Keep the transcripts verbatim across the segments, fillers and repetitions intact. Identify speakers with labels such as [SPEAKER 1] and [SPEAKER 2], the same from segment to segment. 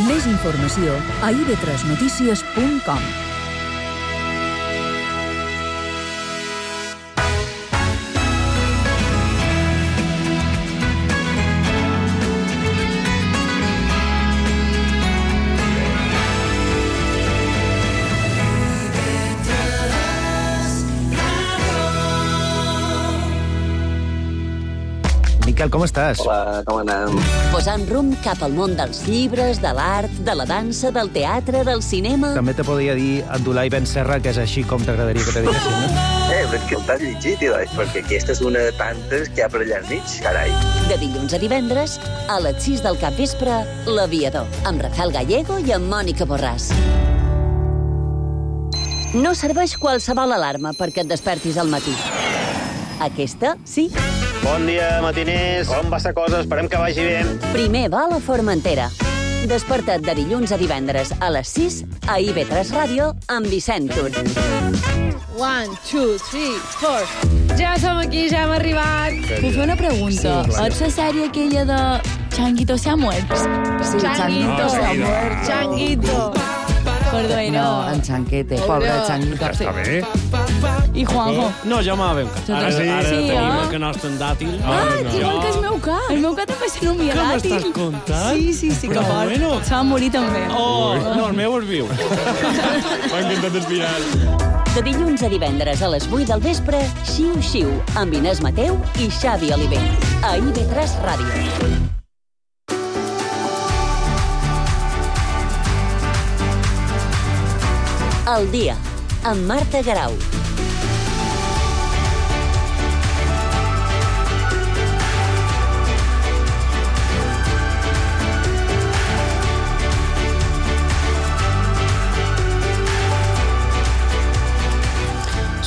[SPEAKER 1] Més informació a i ve tres notícies punt com.
[SPEAKER 2] Miquel, com estàs?
[SPEAKER 3] Hola, com anem?
[SPEAKER 4] Posant rumb cap al món dels llibres, de l'art, de la dansa, del teatre, del cinema...
[SPEAKER 2] També te podria dir Abdullah Ben Serra, que és així com t'agradaria que te diguessin, no?
[SPEAKER 3] Eh, però és que t'has llegit, tio, perquè aquesta és una de tantes que hi ha per allà al mig, carai.
[SPEAKER 4] De dilluns a divendres, a les sis del capvespre, L'Aviador, amb Rafael Gallego i amb Mònica Borràs. No serveix qualsevol alarma perquè et despertis al matí. Aquesta, sí.
[SPEAKER 5] Bon dia, matiners. Com va la cosa? Esperem que vagi bé.
[SPEAKER 4] Primer va a la Formentera. Desperta't de dilluns a divendres a les sis a i ve tres Ràdio amb Vicent Tur.
[SPEAKER 6] One, two, three, four. Ja som aquí, ja hem arribat.
[SPEAKER 7] Puc fer una pregunta? Sí, ets la sèrie aquella de Changuito se ha muerto?
[SPEAKER 6] Sí, Changuito se ha muerto. Changuito.
[SPEAKER 7] Perdó, era...
[SPEAKER 8] No, en Chanquete, pobre Changuito.
[SPEAKER 9] Està bé.
[SPEAKER 7] I Juanjo?
[SPEAKER 9] No, ja m'ha veu. Ara sí, ara
[SPEAKER 7] sí,
[SPEAKER 9] tenim
[SPEAKER 7] eh?
[SPEAKER 9] el que nostre en dàtil.
[SPEAKER 7] Ah, igual que el meu cap. El meu cap també se nomia
[SPEAKER 9] Què
[SPEAKER 7] dàtil.
[SPEAKER 9] m'estàs contant?
[SPEAKER 7] Sí, sí, sí, que
[SPEAKER 9] Però
[SPEAKER 7] fort.
[SPEAKER 9] bueno.
[SPEAKER 7] Se va morir també.
[SPEAKER 9] Oh, no, el meu és viu. M'ha encantat espirar.
[SPEAKER 4] De dilluns a divendres a les vuit del vespre, Xiu Xiu, amb Inés Mateu i Xavi Oliver. A i ve tres Ràdio. El dia, amb Marta Garau.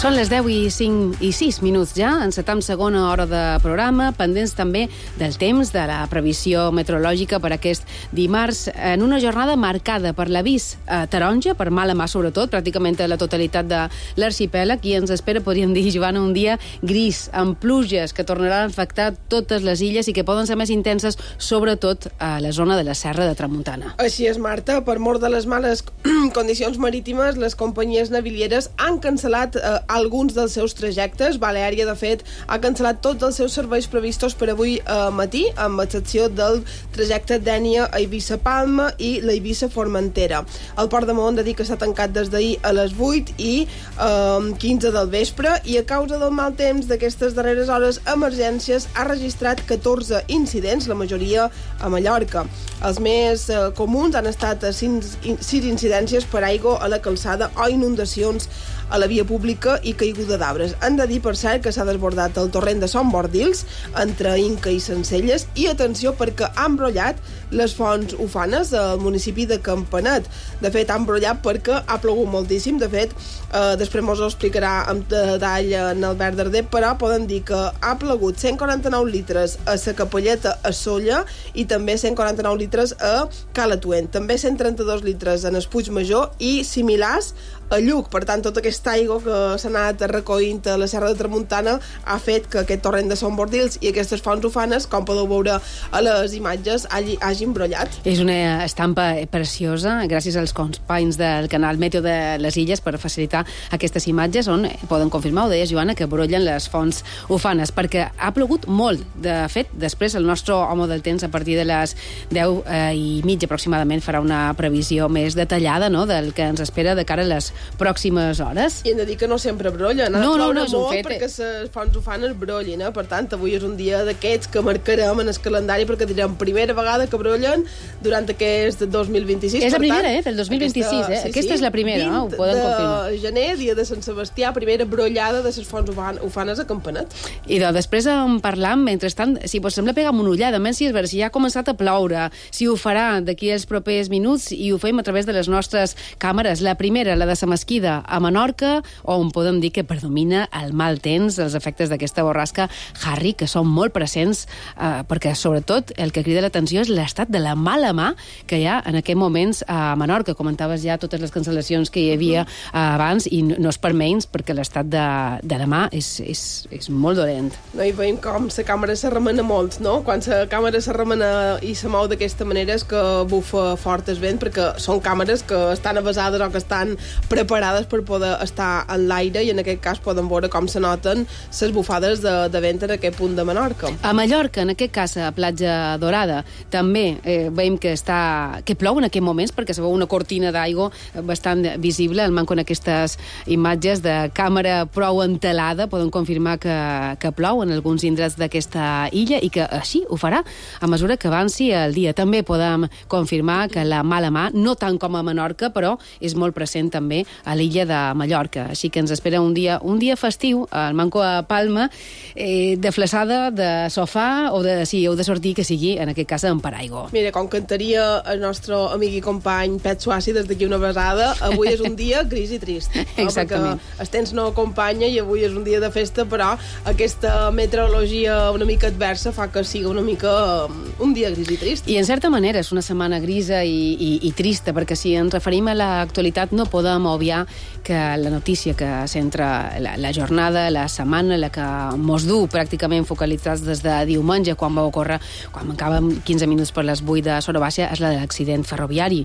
[SPEAKER 10] Són les deu i cinc i sis minuts ja, encetam segona hora de programa, pendents també del temps, de la previsió meteorològica per aquest dimarts, en una jornada marcada per l'avís eh, taronja, per mala mà sobretot, pràcticament a la totalitat de l'arxipèlag, i ens espera, podríem dir, Joana, un dia gris, amb pluges que tornaran a afectar totes les illes i que poden ser més intenses, sobretot a la zona de la Serra de Tramuntana.
[SPEAKER 6] Així és, Marta. Per mort de les males condicions marítimes, les companyies navilieres han cancel·lat eh, alguns dels seus trajectes. Baleària, de fet, ha cancel·lat tots els seus serveis previstos per avui eh, matí, amb excepció del trajecte Dénia a Eivissa-Palma i la Eivissa-Formentera. El port de Maó han de dir que s'ha tancat des d'ahir a les vuit i eh, quinze del vespre, i a causa del mal temps d'aquestes darreres hores, Emergències ha registrat catorze incidents, la majoria a Mallorca. Els més eh, comuns han estat sis, sis incidències per aigua a la calçada o inundacions a la via pública i caiguda d'arbres. Han de dir, per cert, que s'ha desbordat el torrent de Son Bordils entre Inca i Sencelles, i atenció perquè ha embrollat les fonts ufanes al municipi de Campanet. De fet, ha embrollat perquè ha plogut moltíssim. De fet, eh, després mos ho explicarà amb detall en Albert Darder, però poden dir que ha plogut cent quaranta-nou litres a la Capelleta a Solla i també cent quaranta-nou litres a Calatuent. També cent trenta-dos litres en el Puigmajor i similars a Lluc. Per tant, tota aquesta aigua que s'ha anat recollint a la Serra de Tramuntana ha fet que aquest torrent de Son Bordils i aquestes fonts ufanes, com podeu veure a les imatges, hagi, hagi embrollat.
[SPEAKER 10] És una estampa preciosa, gràcies als companys del canal Meteo de les Illes per facilitar aquestes imatges, on poden confirmar, ho deies, Joana, que brollen les fonts ufanes, perquè ha plogut molt. De fet, després el nostre home del temps, a partir de les deu eh, i mitja aproximadament, farà una previsió més detallada, no?, del que ens espera de cara a les pròximes hores.
[SPEAKER 6] I hem de dir que no sempre brollen.
[SPEAKER 10] No, no, no és un fet.
[SPEAKER 6] Perquè les fonts ufanes brollin, eh? Per tant, avui és un dia d'aquests que marcarem en el calendari, perquè direm primera vegada que brollen durant aquest dos mil vint-i-sis.
[SPEAKER 10] És la primera, eh? Del dos mil vint-i-sis, aquesta, eh? Sí, aquesta sí, és la primera, eh? Ho poden confirmar.
[SPEAKER 6] de gener, dia de Sant Sebastià, primera brollada de les fonts ufanes a Campanet.
[SPEAKER 10] I de, després en parlam, mentrestant, si vos sembla, pegam una ullada, menys si és veure si ja ha començat a ploure, si ho farà d'aquí als propers minuts, i ho fem a través de les nostres càmeres. La primera, la de la Mesquida a Menorca, on podem dir que predomina el mal temps, els efectes d'aquesta borrasca Harry, que són molt presents, eh, perquè sobretot el que crida l'atenció és l'estat de la mala mà que hi ha en aquests moments a Menorca. Comentaves ja totes les cancel·lacions que hi havia eh, abans, i no, no és per menys, perquè l'estat de, de la mà és, és, és molt dolent.
[SPEAKER 6] No, i veiem com la càmera se remena molt, no? Quan la càmera se remena i se mou d'aquesta d'aquesta manera és que bufa fort el vent, perquè són càmeres que estan avasades o que estan preparades per poder estar en l'aire, i en aquest cas poden veure com se noten les bufades de, de vent en aquest punt de Menorca.
[SPEAKER 10] A Mallorca, en aquest cas a Platja Dorada, també eh, veiem que està que plou en aquests moments, perquè se veu una cortina d'aigua bastant visible. El manco en aquestes imatges de càmera prou entelada poden confirmar que, que plou en alguns indrets d'aquesta illa, i que així ho farà a mesura que avanci el dia. També podem confirmar que la mala mà, no tant com a Menorca, però és molt present també a l'illa de Mallorca. Així que ens espera un dia un dia festiu al manco a Palma, eh, de flaçada, de sofà, o de, sí, o de sortir, que sigui, en aquest cas, en paraigua.
[SPEAKER 6] Mira, com cantaria el nostre amic i company Pet Suassi des d'aquí una besada, avui és un dia gris i trist. No?
[SPEAKER 10] Exactament.
[SPEAKER 6] Perquè el temps no acompanya i avui és un dia de festa, però aquesta meteorologia una mica adversa fa que sigui una mica un dia gris i trist.
[SPEAKER 10] I en certa manera és una setmana grisa i, i, i trista, perquè si ens referim a l'actualitat no podem obviar que la notícia que centra la, la jornada, la setmana, la que mos du pràcticament focalitzats des de diumenge, quan va ocórrer, quan mancàvem quinze minuts per les vuit de Sora Baixa, és la de l'accident ferroviari.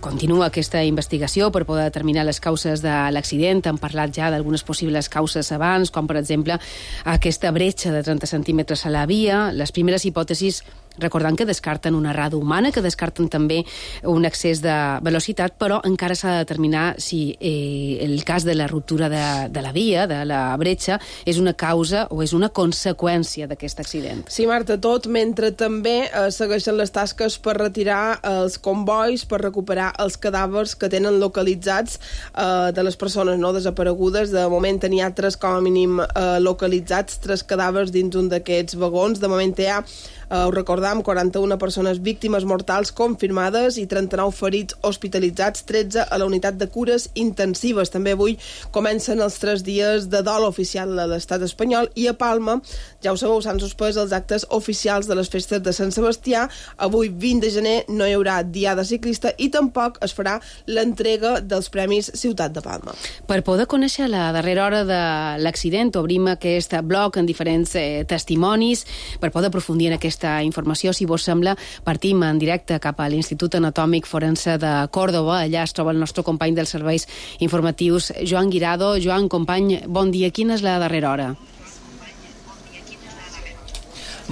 [SPEAKER 10] Continua aquesta investigació per poder determinar les causes de l'accident. Hem parlat ja d'algunes possibles causes abans, com per exemple aquesta bretxa de trenta centímetres a la via. Les primeres hipòtesis, recordant que descarten una errada humana, que descarten també un excés de velocitat, però encara s'ha de determinar si eh, el cas de la ruptura de, de la via, de la bretxa, és una causa o és una conseqüència d'aquest accident.
[SPEAKER 6] Sí, Marta, tot mentre també eh, segueixen les tasques per retirar els convois, per recuperar els cadàvers que tenen localitzats eh, de les persones no desaparegudes. De moment n'hi ha tres com a mínim eh, localitzats, tres cadàvers dins un d'aquests vagons. De moment hi ha Uh, ho recordam, quaranta-una persones víctimes mortals confirmades i trenta-nou ferits hospitalitzats, tretze a la unitat de cures intensives. També avui comencen els tres dies de dol oficial a l'estat espanyol, i a Palma, ja ho sabeu, s'han suspès els actes oficials de les festes de Sant Sebastià. Avui, vint de gener, no hi haurà diada ciclista i tampoc es farà l'entrega dels Premis Ciutat de Palma.
[SPEAKER 10] Per poder conèixer la darrera hora de l'accident, obrim aquest bloc en diferents eh, testimonis per poder aprofundir en aquesta informació. Si vos sembla, partim en directe cap a l'Institut Anatòmic Forense de Còrdova. Allà es troba el nostre company dels serveis informatius, Joan Guirado. Joan, company, bon dia. Quina és la darrera hora?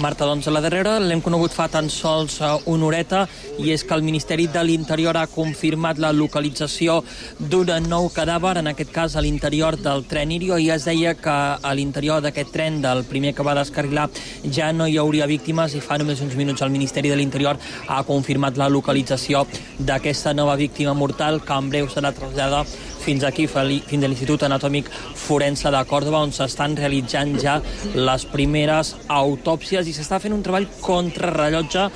[SPEAKER 11] Marta, doncs la darrera l'hem conegut fa tan sols una horeta, i és que el Ministeri de l'Interior ha confirmat la localització d'un nou cadàver, en aquest cas a l'interior del tren Irio, i es deia que a l'interior d'aquest tren, del primer que va descarrilar, ja no hi hauria víctimes, i fa només uns minuts el Ministeri de l'Interior ha confirmat la localització d'aquesta nova víctima mortal, que en breu serà traslladada fins aquí, fins a l'Institut Anatòmic Forense de Còrdova, on s'estan realitzant ja les primeres autòpsies, i s'està fent un treball contrarrellotge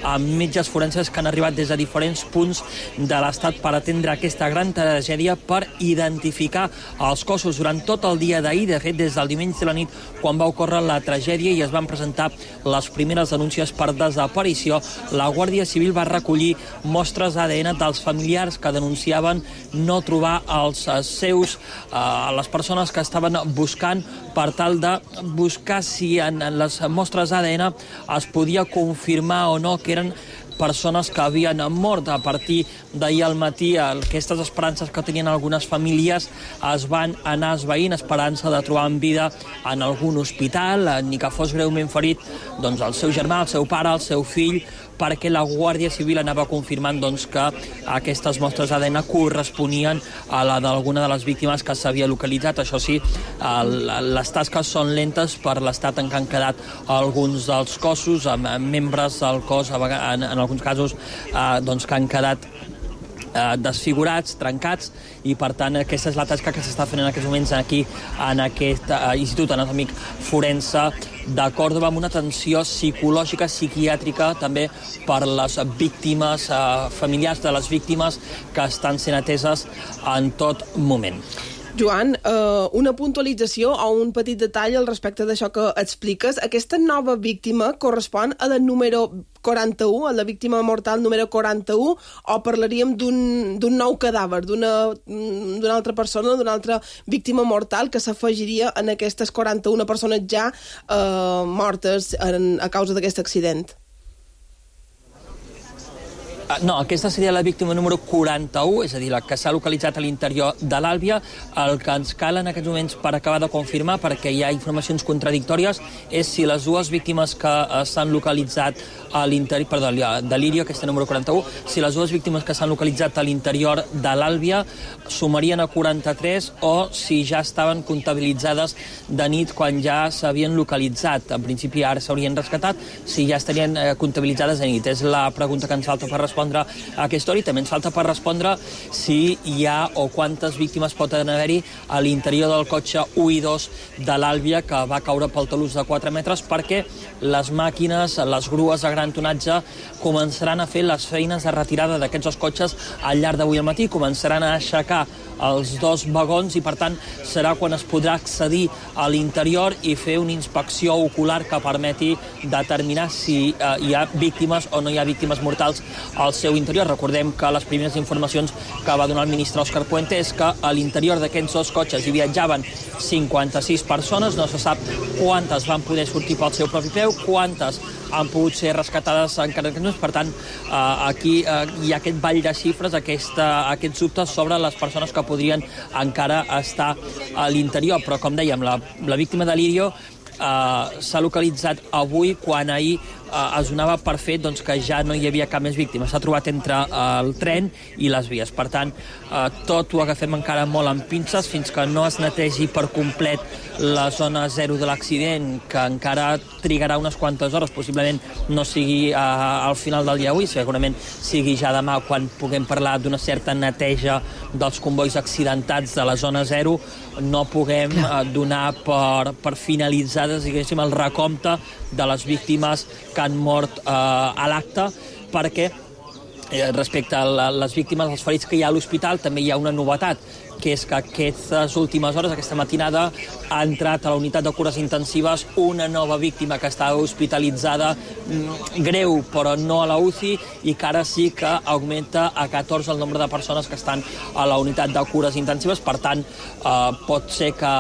[SPEAKER 11] amb metges forenses que han arribat des de diferents punts de l'Estat per atendre aquesta gran tragèdia, per identificar els cossos. Durant tot el dia d'ahir, de fet, des del diumenge de la nit, quan va ocórrer la tragèdia i es van presentar les primeres denúncies per desaparició, la Guàrdia Civil va recollir mostres A D N dels familiars que denunciaven no trobar els seus, eh, les persones que estaven buscant, per tal de buscar si en les mostres A D N es podia confirmar o no que eren persones que havien mort. A partir d'ahir al matí, aquestes esperances que tenien algunes famílies es van anar esvaint, esperança de trobar en vida en algun hospital, ni que fos greument ferit, doncs el seu germà, el seu pare, el seu fill, perquè la Guàrdia Civil anava confirmant doncs, que aquestes mostres A D N corresponien a la d'alguna de les víctimes que s'havia localitzat. Això sí, el, les tasques són lentes per l'estat en què han quedat alguns dels cossos, amb membres del cos, en, en alguns casos, eh, doncs, que han quedat eh, desfigurats, trencats, i per tant aquesta és la tasca que s'està fent en aquests moments aquí en aquest eh, Institut Anatòmic Forense de Còrdova, amb una atenció psicològica, psiquiàtrica, també per les víctimes, eh, familiars de les víctimes, que estan sent ateses en tot moment.
[SPEAKER 6] Joan, eh, una puntualització o un petit detall al respecte d'això que expliques. Aquesta nova víctima correspon a la número quaranta-u, a la víctima mortal número quaranta-u, o parlaríem d'un nou cadàver, d'una altra persona, d'una altra víctima mortal que s'afegiria en aquestes quaranta-una persones ja eh, mortes en, a causa d'aquest accident?
[SPEAKER 11] No, aquesta seria la víctima número quaranta-u, és a dir, la que s'ha localitzat a l'interior de l'Àlvia. El que ens cal en aquests moments per acabar de confirmar, perquè hi ha informacions contradictòries, és si les dues víctimes que s'han localitzat a l'interior, perdó, de l'Irio, aquesta número quaranta-u, si les dues víctimes que s'han localitzat a l'interior de l'Àlvia sumarien a quaranta-tres o si ja estaven comptabilitzades de nit quan ja s'havien localitzat. En principi ara s'haurien rescatat, si ja estarien eh, comptabilitzades de nit. És la pregunta que ens falta per respondre a aquesta hora, i també ens falta per respondre si hi ha o quantes víctimes poden haver-hi a l'interior del cotxe u i dos de l'Àlvia que va caure pel talús de quatre metres, perquè les màquines, les grues de gran tonatge començaran a fer les feines de retirada d'aquests dos cotxes al llarg d'avui al matí, començaran a aixecar els dos vagons i, per tant, serà quan es podrà accedir a l'interior i fer una inspecció ocular que permeti determinar si eh, hi ha víctimes o no hi ha víctimes mortals al seu interior. Recordem que les primeres informacions que va donar el ministre Òscar Puente és que a l'interior d'aquests dos cotxes hi viatjaven cinquanta-sis persones, no se sap quantes van poder sortir pel seu propi peu, quantes han pogut ser rescatades encara que no. Per tant, eh, aquí eh, hi ha aquest ball de xifres, aquesta, aquests dubtes sobre les persones que podrien encara estar a l'interior. Però, com dèiem, la, la víctima de l'Irio eh, s'ha localitzat avui, quan ahir eh, es donava per fet doncs, que ja no hi havia cap més víctima. S'ha trobat entre eh, el tren i les vies. Per tant, eh, tot ho agafem encara molt amb pinces fins que no es netegi per complet la zona zero de l'accident, que encara trigarà unes quantes hores, possiblement no sigui eh, al final del dia avui, segurament sigui ja demà quan puguem parlar d'una certa neteja dels convois accidentats de la zona zero, no puguem eh, donar per, per finalitzades, diguéssim, el recompte de les víctimes que han mort eh, a l'acte, perquè eh, respecte a la, les víctimes, els ferits que hi ha a l'hospital, també hi ha una novetat, que és que aquestes últimes hores, aquesta matinada, ha entrat a la unitat de cures intensives una nova víctima que estava hospitalitzada, greu, però no a la U C I, i que ara sí que augmenta a catorze el nombre de persones que estan a la unitat de cures intensives. Per tant, eh, pot ser que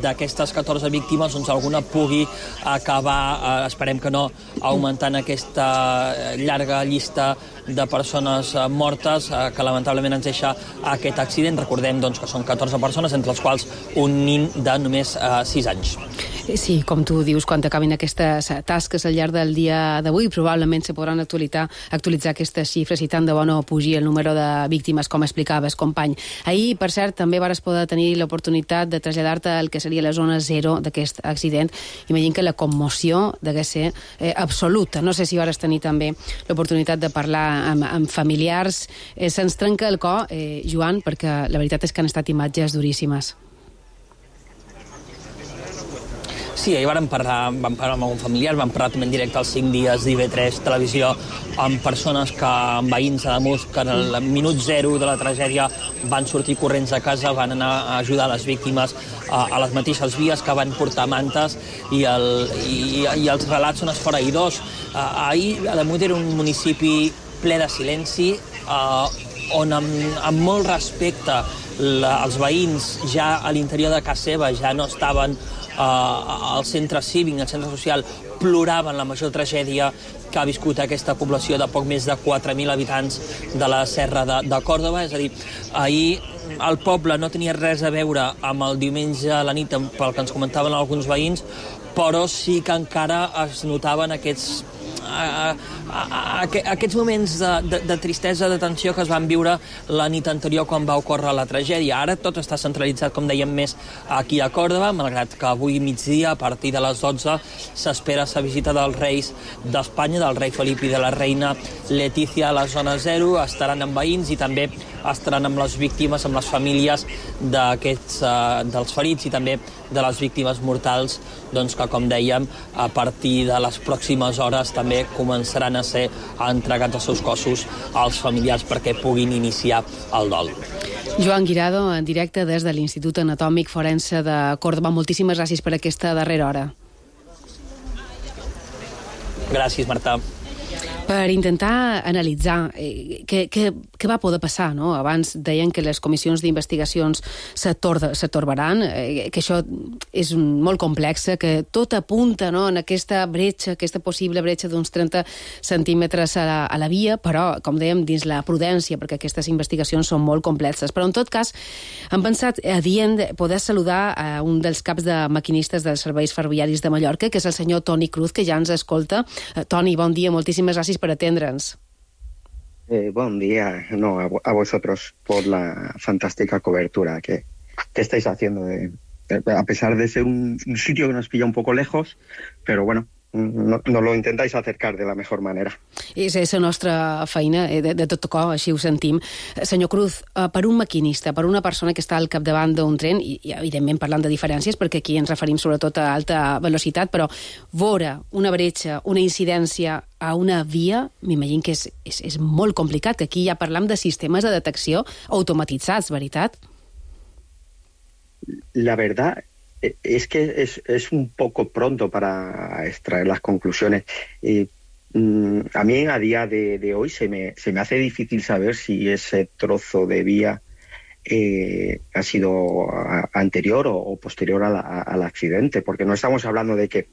[SPEAKER 11] d'aquestes catorze víctimes doncs, alguna pugui acabar, eh, esperem que no, augmentant aquesta llarga llista de persones eh, mortes eh, que lamentablement ens deixa aquest accident. Recordem doncs, que són catorze persones, entre les quals un nin de només eh, sis anys.
[SPEAKER 10] Sí, com tu dius, quan acabin aquestes tasques al llarg del dia d'avui, probablement se podran actualitzar, actualitzar aquestes xifres i tant de bo no pugi el número de víctimes, com explicaves, company. Ahir, per cert, també vares poder tenir l'oportunitat de traslladar-te al que seria la zona zero d'aquest accident. Imagino que la commoció degué ser eh, absoluta. No sé si vares tenir també l'oportunitat de parlar amb, amb familiars. Eh, se'ns trenca el cor, eh, Joan, perquè la veritat és que han estat imatges duríssimes.
[SPEAKER 11] Sí, ahir vam parlar, vam parlar amb algun familiar, vam parlar també en directe als cinc dies d'I V tres Televisió amb persones que, amb veïns a Ademús, que en el minut zero de la tragèdia van sortir corrents a casa, van anar a ajudar les víctimes a, a les mateixes vies, que van portar mantes, i, el, i, i els relats són esfereïdors. Uh, ahir Ademús era un municipi ple de silenci, uh, on amb, amb molt respecte la, els veïns ja a l'interior de casa seva ja no estaven Uh, al centre cívic, al centre social, ploraven la major tragèdia que ha viscut aquesta població de poc més de quatre mil habitants de la Serra de, de Còrdova. És a dir, ahir el poble no tenia res a veure amb el diumenge a la nit, pel que ens comentaven alguns veïns, però sí que encara es notaven aquests A, a, a, a aquests moments de, de, de tristesa, de tensió que es van viure la nit anterior quan va ocórrer la tragèdia. Ara tot està centralitzat, com dèiem, més aquí a Còrdova, malgrat que avui migdia, a partir de les dotze, s'espera la visita dels reis d'Espanya, del rei Felip i de la reina Letícia a la zona zero. Estaran amb veïns i també estaran amb les víctimes, amb les famílies d'aquests, uh, dels ferits i també de les víctimes mortals, doncs que, com dèiem, a partir de les pròximes hores també començaran a ser entregats els seus cossos als familiars perquè puguin iniciar el dol.
[SPEAKER 10] Joan Guirado, en directe des de l'Institut Anatòmic Forense de Còrdova. Moltíssimes gràcies per aquesta darrera hora.
[SPEAKER 11] Gràcies, Marta.
[SPEAKER 10] Per intentar analitzar eh, què, què, què va poder passar, no? Abans deien que les comissions d'investigacions s'atorbaran, eh, que això és molt complex, que tot apunta, no?, en aquesta bretxa, aquesta possible bretxa d'uns trenta centímetres a la, a la via, però, com dèiem, dins la prudència, perquè aquestes investigacions són molt complexes. Però, en tot cas, han pensat adient poder saludar a un dels caps de maquinistes dels serveis ferroviaris de Mallorca, que és el senyor Toni Cruz, que ja ens escolta. Eh, Toni, bon dia, moltíssimes gràcies per atendre'ns.
[SPEAKER 12] Eh, buen día no, a, a vosotros por la fantástica cobertura que, que estáis haciendo, de, de, a pesar de ser un, un sitio que nos pilla un poco lejos, pero bueno, no, no lo intentáis acercar de la mejor manera.
[SPEAKER 10] És, és la nostra feina, de, de tot cor, així ho sentim. Senyor Cruz, per un maquinista, per una persona que està al capdavant d'un tren, i, i evidentment parlant de diferències, perquè aquí ens referim sobretot a alta velocitat, però veure una bretxa, una incidència a una via, m'imagino que és, és, és molt complicat, que aquí ja parlam de sistemes de detecció automatitzats, ¿veritat?
[SPEAKER 12] La verdad es que es, es un poco pronto para extraer las conclusiones. Eh, a mí a día de, de hoy se me, se me hace difícil saber si ese trozo de vía eh, ha sido a, anterior o, o posterior a la, a, al accidente, porque no estamos hablando de que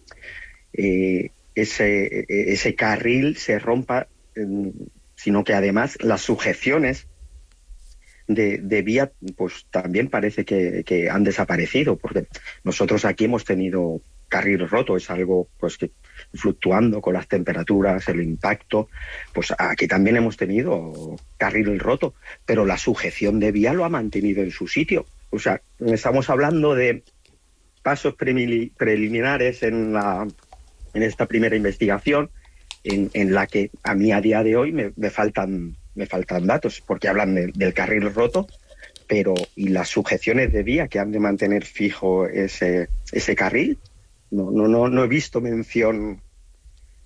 [SPEAKER 12] eh, ese, ese carril se rompa, eh, sino que además las sujeciones De, de vía, pues también parece que, que han desaparecido, porque nosotros aquí hemos tenido carril roto, es algo pues que fluctuando con las temperaturas, el impacto, pues aquí también hemos tenido carril roto, pero la sujeción de vía lo ha mantenido en su sitio. O sea, estamos hablando de pasos pre- preliminares en, la, en esta primera investigación, en, en la que a mí a día de hoy me, me faltan me faltan datos, porque hablan de, del carril roto, pero y las sujeciones de vía que han de mantener fijo ese, ese carril, no, no, no, no he visto mención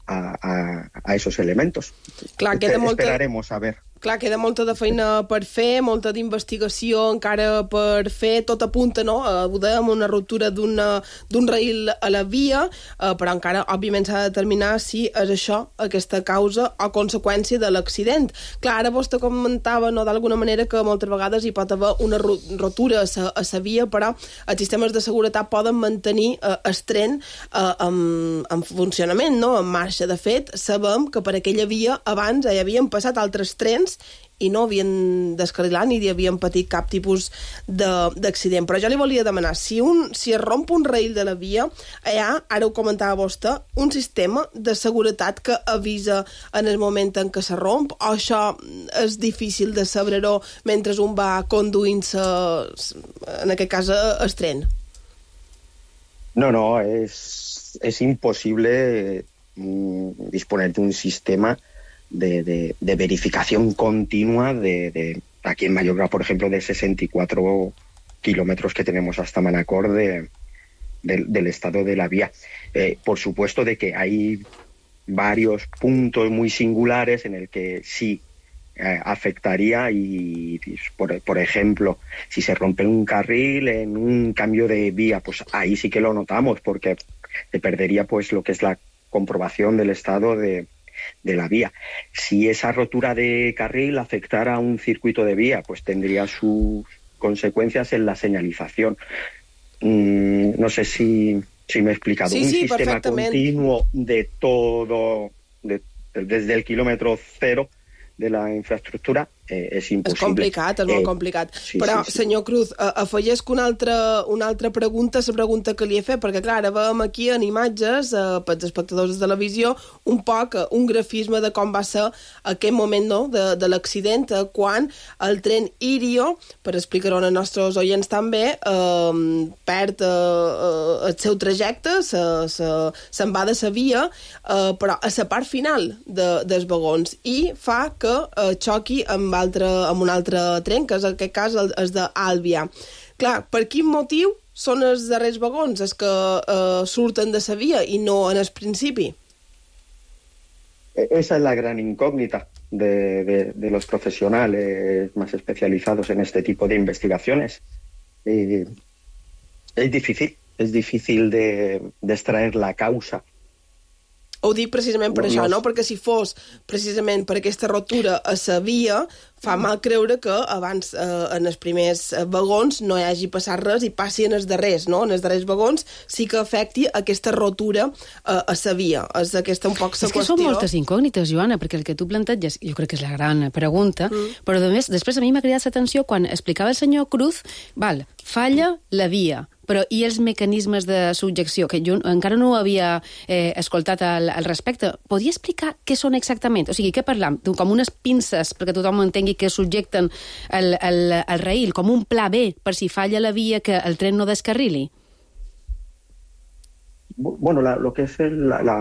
[SPEAKER 12] a, a, a esos elementos.
[SPEAKER 6] Clar, queda molta...
[SPEAKER 12] Esperaremos a ver.
[SPEAKER 6] Clar, queda molta de feina per fer, molta d'investigació encara per fer, tot apunta, no?, a, ho dèiem, una ruptura d'un rail a la via, eh, però encara, òbviament, s'ha de determinar si és això, aquesta causa o conseqüència de l'accident. Clar, ara vostè comentava, no?, d'alguna manera que moltes vegades hi pot haver una rotura a sa, a sa via, però els sistemes de seguretat poden mantenir eh, el tren eh, en, en funcionament, no?, en marxa. De fet, sabem que per aquella via abans hi havien passat altres trens i no havien descarrilat ni havien patit cap tipus d'accident. Però jo li volia demanar, si, un, si es romp un rail de la via, hi ha, ara ho comentava vostè, un sistema de seguretat que avisa en el moment en què se romp, o això és difícil de saber-ho mentre un va conduint-se, en aquest cas, el tren?
[SPEAKER 12] No, no, es, es imposible mm, disponer de un sistema De, de, de verificación continua de, de aquí en Mallorca, por ejemplo, de sesenta y cuatro kilómetros que tenemos hasta Manacor de, de, del estado de la vía. Eh, por supuesto de que hay varios puntos muy singulares en el que sí eh, afectaría y, y por, por ejemplo, si se rompe un carril en un cambio de vía, pues ahí sí que lo notamos porque se perdería pues lo que es la comprobación del estado de de la vía. Si esa rotura de carril afectara a un circuito de vía, pues tendría sus consecuencias en la señalización. Mm, no sé si, si me he explicado.
[SPEAKER 6] Sí,
[SPEAKER 12] un
[SPEAKER 6] sí,
[SPEAKER 12] sistema continuo de todo, de, desde el kilómetro cero de la infraestructura, eh, és impossible.
[SPEAKER 6] És complicat, és molt eh, complicat. Sí, Però, sí, sí. senyor Cruz, afegesc una altra, una altra pregunta a la pregunta que li he fet, perquè, clar, ara veiem aquí en imatges, eh, pels espectadors de televisió, un poc, un grafisme de com va ser aquest moment, no?, de, de l'accident, eh, quan el tren Irio, per explicar-ho als nostres oients també, eh, perd eh, el seu trajecte, se'n se, se va de la via, eh, però a la part final de, dels vagons, i fa que eh, xoqui amb Altre, amb un altre tren, que és en aquest cas el, el d'Àlvia. Clar, per quin motiu són els darrers vagons els que eh, surten de la via i no en el principi?
[SPEAKER 12] Esa es la gran incógnita de, de, de los profesionales más especializados en este tipo de investigaciones. Eh, es difícil, es difícil de, de extraer la causa
[SPEAKER 6] Ho dic precisament per no, això, no? Perquè si fos precisament per aquesta rotura a la via, fa mal creure que abans eh, en els primers vagons no hi hagi passat res i passi en els darrers, no? En els darrers vagons sí que afecti aquesta rotura eh, a la via. És aquesta un poc la qüestió.
[SPEAKER 10] És que són moltes incògnites, Joana, perquè el que tu planteges, jo crec que és la gran pregunta, mm. però a més, després a mi m'ha cridat l'atenció quan explicava el senyor Cruz, val, falla la via, però i els mecanismes de subjecció, que jo encara no ho havia eh, escoltat al, al respecte. Podria explicar què són exactament? O sigui, què parlam? Com unes pinces, perquè tothom entengui que subjecten el, el, el raïl, com un pla B, per si falla la via que el tren no descarrili?
[SPEAKER 12] Bueno, la, lo que es el, la, la,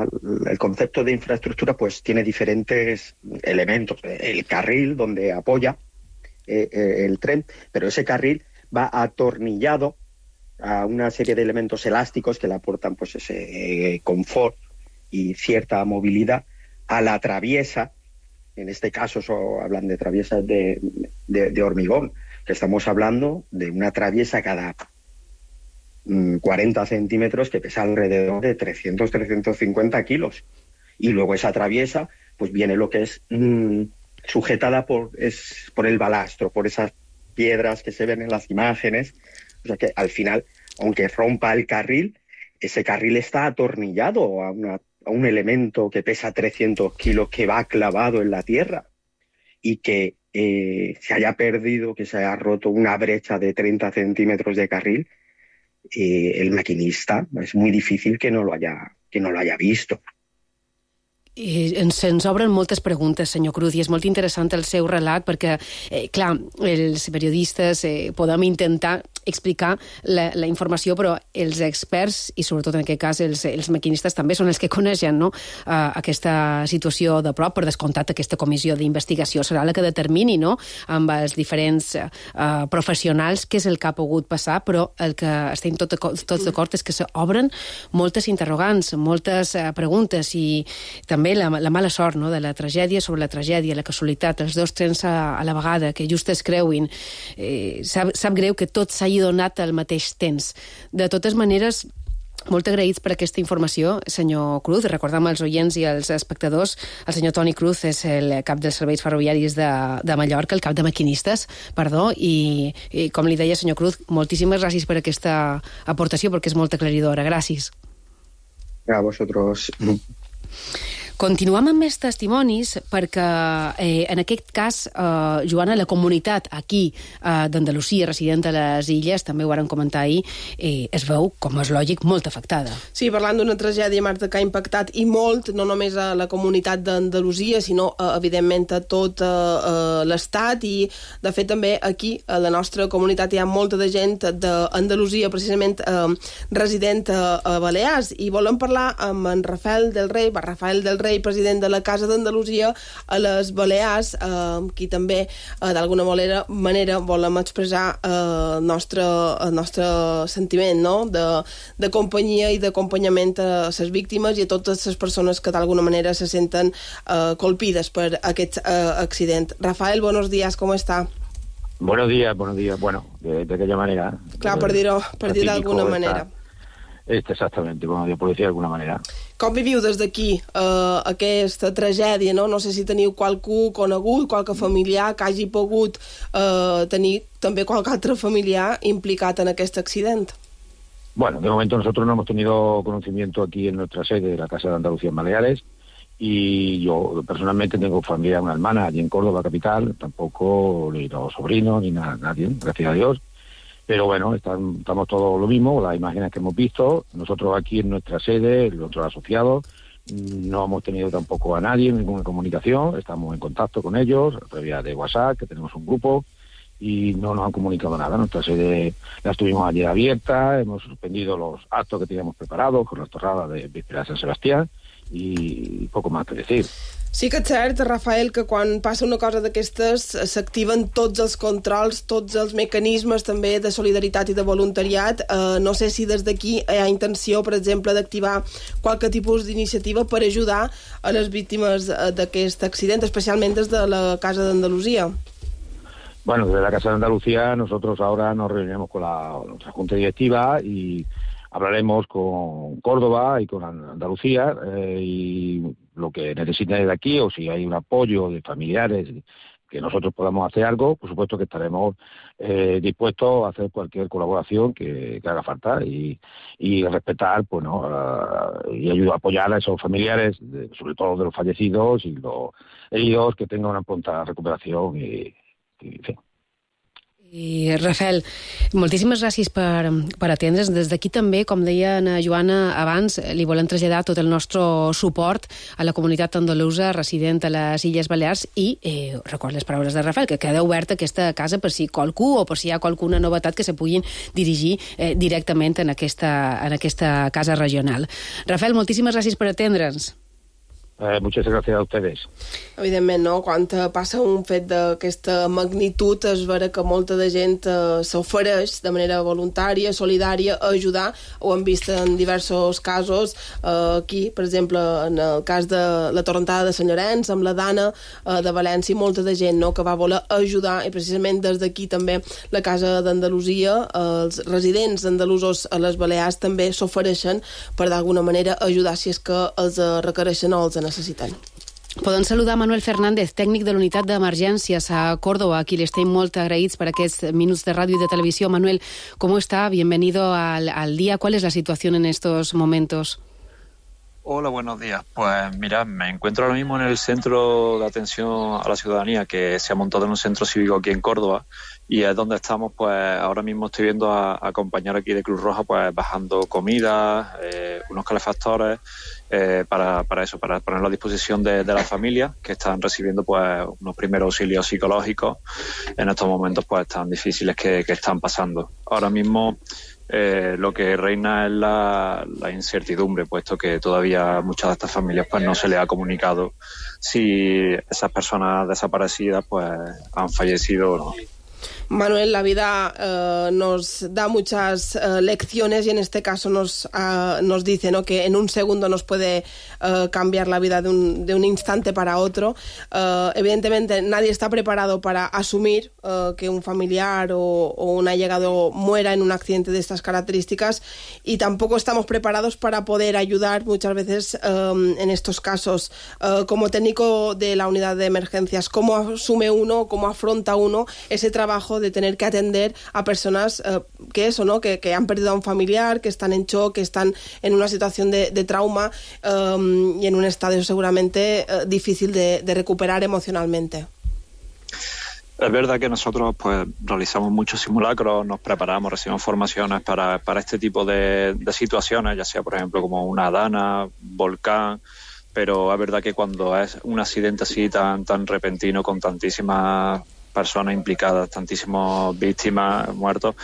[SPEAKER 12] el concepto de infraestructura, pues tiene diferentes elementos. El carril donde apoya eh, eh, el tren, pero ese carril va atornillado a una serie de elementos elásticos que le aportan pues ese eh, confort y cierta movilidad a la traviesa. En este caso so, hablan de traviesas de, de, de hormigón, que estamos hablando de una traviesa cada mm, cuarenta centímetros que pesa alrededor de trescientos a trescientos cincuenta kilos. Y luego esa traviesa pues viene lo que es mm, sujetada por, es, por el balastro, por esas piedras que se ven en las imágenes. O sea que al final, aunque rompa el carril, ese carril está atornillado a, una, a un elemento que pesa trescientos kilos que va clavado en la tierra y que eh, se haya perdido, que se haya roto una brecha de treinta centímetros de carril, eh, el maquinista es muy difícil que no lo haya, que no lo haya visto.
[SPEAKER 10] I ens, ens obren moltes preguntes, senyor Cruz, i és molt interessant el seu relat perquè, eh, clar, els periodistes eh, podem intentar explicar la, la informació, però els experts, i sobretot en aquest cas els, els maquinistes també són els que coneixen, no? uh, aquesta situació de prop. Per descomptat, aquesta comissió d'investigació serà la que determini, no?, amb els diferents uh, professionals què és el que ha pogut passar, però el que estem tot, tots d'acord és que s'obren moltes interrogants, moltes uh, preguntes, i també també la, la mala sort, no?, de la tragèdia sobre la tragèdia, la casualitat, els dos trens a, a la vegada, que just es creuin. Eh, sap, sap greu que tot s'hagi donat al mateix temps. De totes maneres, molt agraïts per aquesta informació, senyor Cruz. Recordem als oients i als espectadors, el senyor Toni Cruz és el cap dels serveis ferroviaris de, de Mallorca, el cap de maquinistes, perdó, i, i com li deia, senyor Cruz, moltíssimes gràcies per aquesta aportació, perquè és molt aclaridora. Gràcies.
[SPEAKER 12] A vosotros.
[SPEAKER 10] Continuem amb més testimonis perquè, eh, en aquest cas, eh, Joana, la comunitat aquí eh, d'Andalusia, resident a les Illes, també ho varen comentar ahir, eh, es veu, com és lògic, molt afectada.
[SPEAKER 6] Sí, parlant d'una tragèdia, Marta, que ha impactat i molt, no només a la comunitat d'Andalusia, sinó, eh, evidentment, a tot eh, l'Estat, i, de fet, també aquí, a la nostra comunitat, hi ha molta de gent d'Andalusia, precisament eh, resident a, a Balears, i volem parlar amb en Rafael del Rey, va, Rafael del Rey, president de la Casa d'Andalusia a les Balears, eh, qui també eh, d'alguna manera, manera volem expressar eh, el, nostre, el nostre sentiment, no?, de, de companyia i d'acompanyament a les víctimes i a totes les persones que d'alguna manera se senten eh, colpides per aquest eh, accident. Rafael, buenos días, ¿cómo está?
[SPEAKER 13] Buenos días, buenos días. Bueno, de, de aquella manera.
[SPEAKER 6] Clar, per dir-ho per dir d'alguna manera.
[SPEAKER 13] Este, exactamente, bueno, yo por decir de alguna manera.
[SPEAKER 6] Com viviu des d'aquí eh, aquesta tragèdia, no? No sé si teniu qualcú conegut, qualque familiar que hagi pogut eh, tenir també qualque altre familiar implicat en aquest accident.
[SPEAKER 13] Bueno, de momento nosotros no hemos tenido conocimiento aquí en nuestra sede de la Casa de Andalucía en Baleares, y yo personalmente tengo familia, una hermana allí en Córdoba capital, tampoco ni los sobrinos ni nada, nadie, gracias a Dios. Pero bueno, están, estamos todos lo mismo, las imágenes que hemos visto. Nosotros aquí en nuestra sede, los otros asociados, no hemos tenido tampoco a nadie, ninguna comunicación. Estamos en contacto con ellos, a través de WhatsApp, que tenemos un grupo, y no nos han comunicado nada. Nuestra sede la estuvimos ayer abierta, hemos suspendido los actos que teníamos preparados con la torrada de Víspera de San Sebastián, y poco más que decir.
[SPEAKER 6] Sí que és cert, Rafael, que quan passa una cosa d'aquestes s'activen tots els controls, tots els mecanismes també de solidaritat i de voluntariat. Eh, no sé si des d'aquí hi ha intenció, per exemple, d'activar qualque tipus d'iniciativa per ajudar a les víctimes d'aquest accident, especialment des de la Casa d'Andalusia.
[SPEAKER 13] Bueno, desde la Casa de Andalucía nosotros ahora nos reunimos con la nuestra junta directiva y hablaremos con Córdoba y con Andalucía eh, y lo que necesiten desde aquí, o si hay un apoyo de familiares que nosotros podamos hacer algo, por supuesto que estaremos eh, dispuestos a hacer cualquier colaboración que, que haga falta y, y respetar, pues, ¿no? Uh, y ayudar a apoyar a esos familiares, de, sobre todo de los fallecidos y los heridos, que tengan una pronta recuperación y, y en fin.
[SPEAKER 10] I Rafael, moltíssimes gràcies per, per atendre's. Des d'aquí també, com deia na Joana abans, li volem traslladar tot el nostre suport a la comunitat andalusa resident a les Illes Balears i eh, record les paraules de Rafael, que queda oberta aquesta casa per si qualcú o per si hi ha qualcuna novetat que se puguin dirigir eh, directament en aquesta, en aquesta casa regional. Rafael, moltíssimes gràcies per atendre'ns.
[SPEAKER 13] Eh, muchas gracias a ustedes.
[SPEAKER 6] Evidentment, no? Quan passa un fet d'aquesta magnitud es vera que molta de gent eh, s'ofereix de manera voluntària, solidària, a ajudar. Ho hem vist en diversos casos. Eh, aquí, per exemple, en el cas de la torrentada de Sant Llorenç, amb la Dana eh, de València, molta de gent, no?, que va voler ajudar, i precisament des d'aquí també la Casa d'Andalusia, eh, els residents andalusos a les Balears també s'ofereixen per d'alguna manera ajudar si és que els requereixen o els necessiten.
[SPEAKER 10] Podem saludar a Manuel Fernández, tècnic de l'unitat d'emergències a Córdoba, a qui le estem molt agraïts per aquests minuts de ràdio i de televisió. Manuel, ¿cómo está? Bienvenido al, al día. ¿Cuál es la situación en estos momentos?
[SPEAKER 14] Hola, buenos días. Pues mira, me encuentro ahora mismo en el centro de atención a la ciudadanía que se ha montado en un centro cívico aquí en Córdoba, y es donde estamos. Pues ahora mismo estoy viendo a, a compañeros aquí de Cruz Roja pues bajando comida, eh, unos calefactores, eh, para, para eso, para ponerlo a disposición de, de las familias que están recibiendo pues unos primeros auxilios psicológicos en estos momentos pues tan difíciles que, que están pasando. Ahora mismo Eh, lo que reina es la, la incertidumbre, puesto que todavía a muchas de estas familias pues no se les ha comunicado si esas personas desaparecidas pues han fallecido o no.
[SPEAKER 6] Manuel, la vida eh, nos da muchas eh, lecciones y en este caso nos, uh, nos dice, ¿no?, que en un segundo nos puede uh, cambiar la vida de un, de un instante para otro. Uh, evidentemente nadie está preparado para asumir uh, que un familiar o, o un allegado muera en un accidente de estas características, y tampoco estamos preparados para poder ayudar muchas veces um, en estos casos. Uh, como técnico de la unidad de emergencias, ¿cómo asume uno, cómo afronta uno ese trabajo de tener que atender a personas eh, que eso, ¿no?, que, que han perdido a un familiar, que están en shock, que están en una situación de, de trauma um, y en un estado seguramente eh, difícil de, de recuperar emocionalmente?
[SPEAKER 14] Es verdad que nosotros pues realizamos muchos simulacros, nos preparamos, recibimos formaciones para, para este tipo de, de situaciones, ya sea por ejemplo como una dana, volcán, pero es verdad que cuando es un accidente así tan, tan repentino, con tantísimas personas implicadas, tantísimas víctimas, muertos,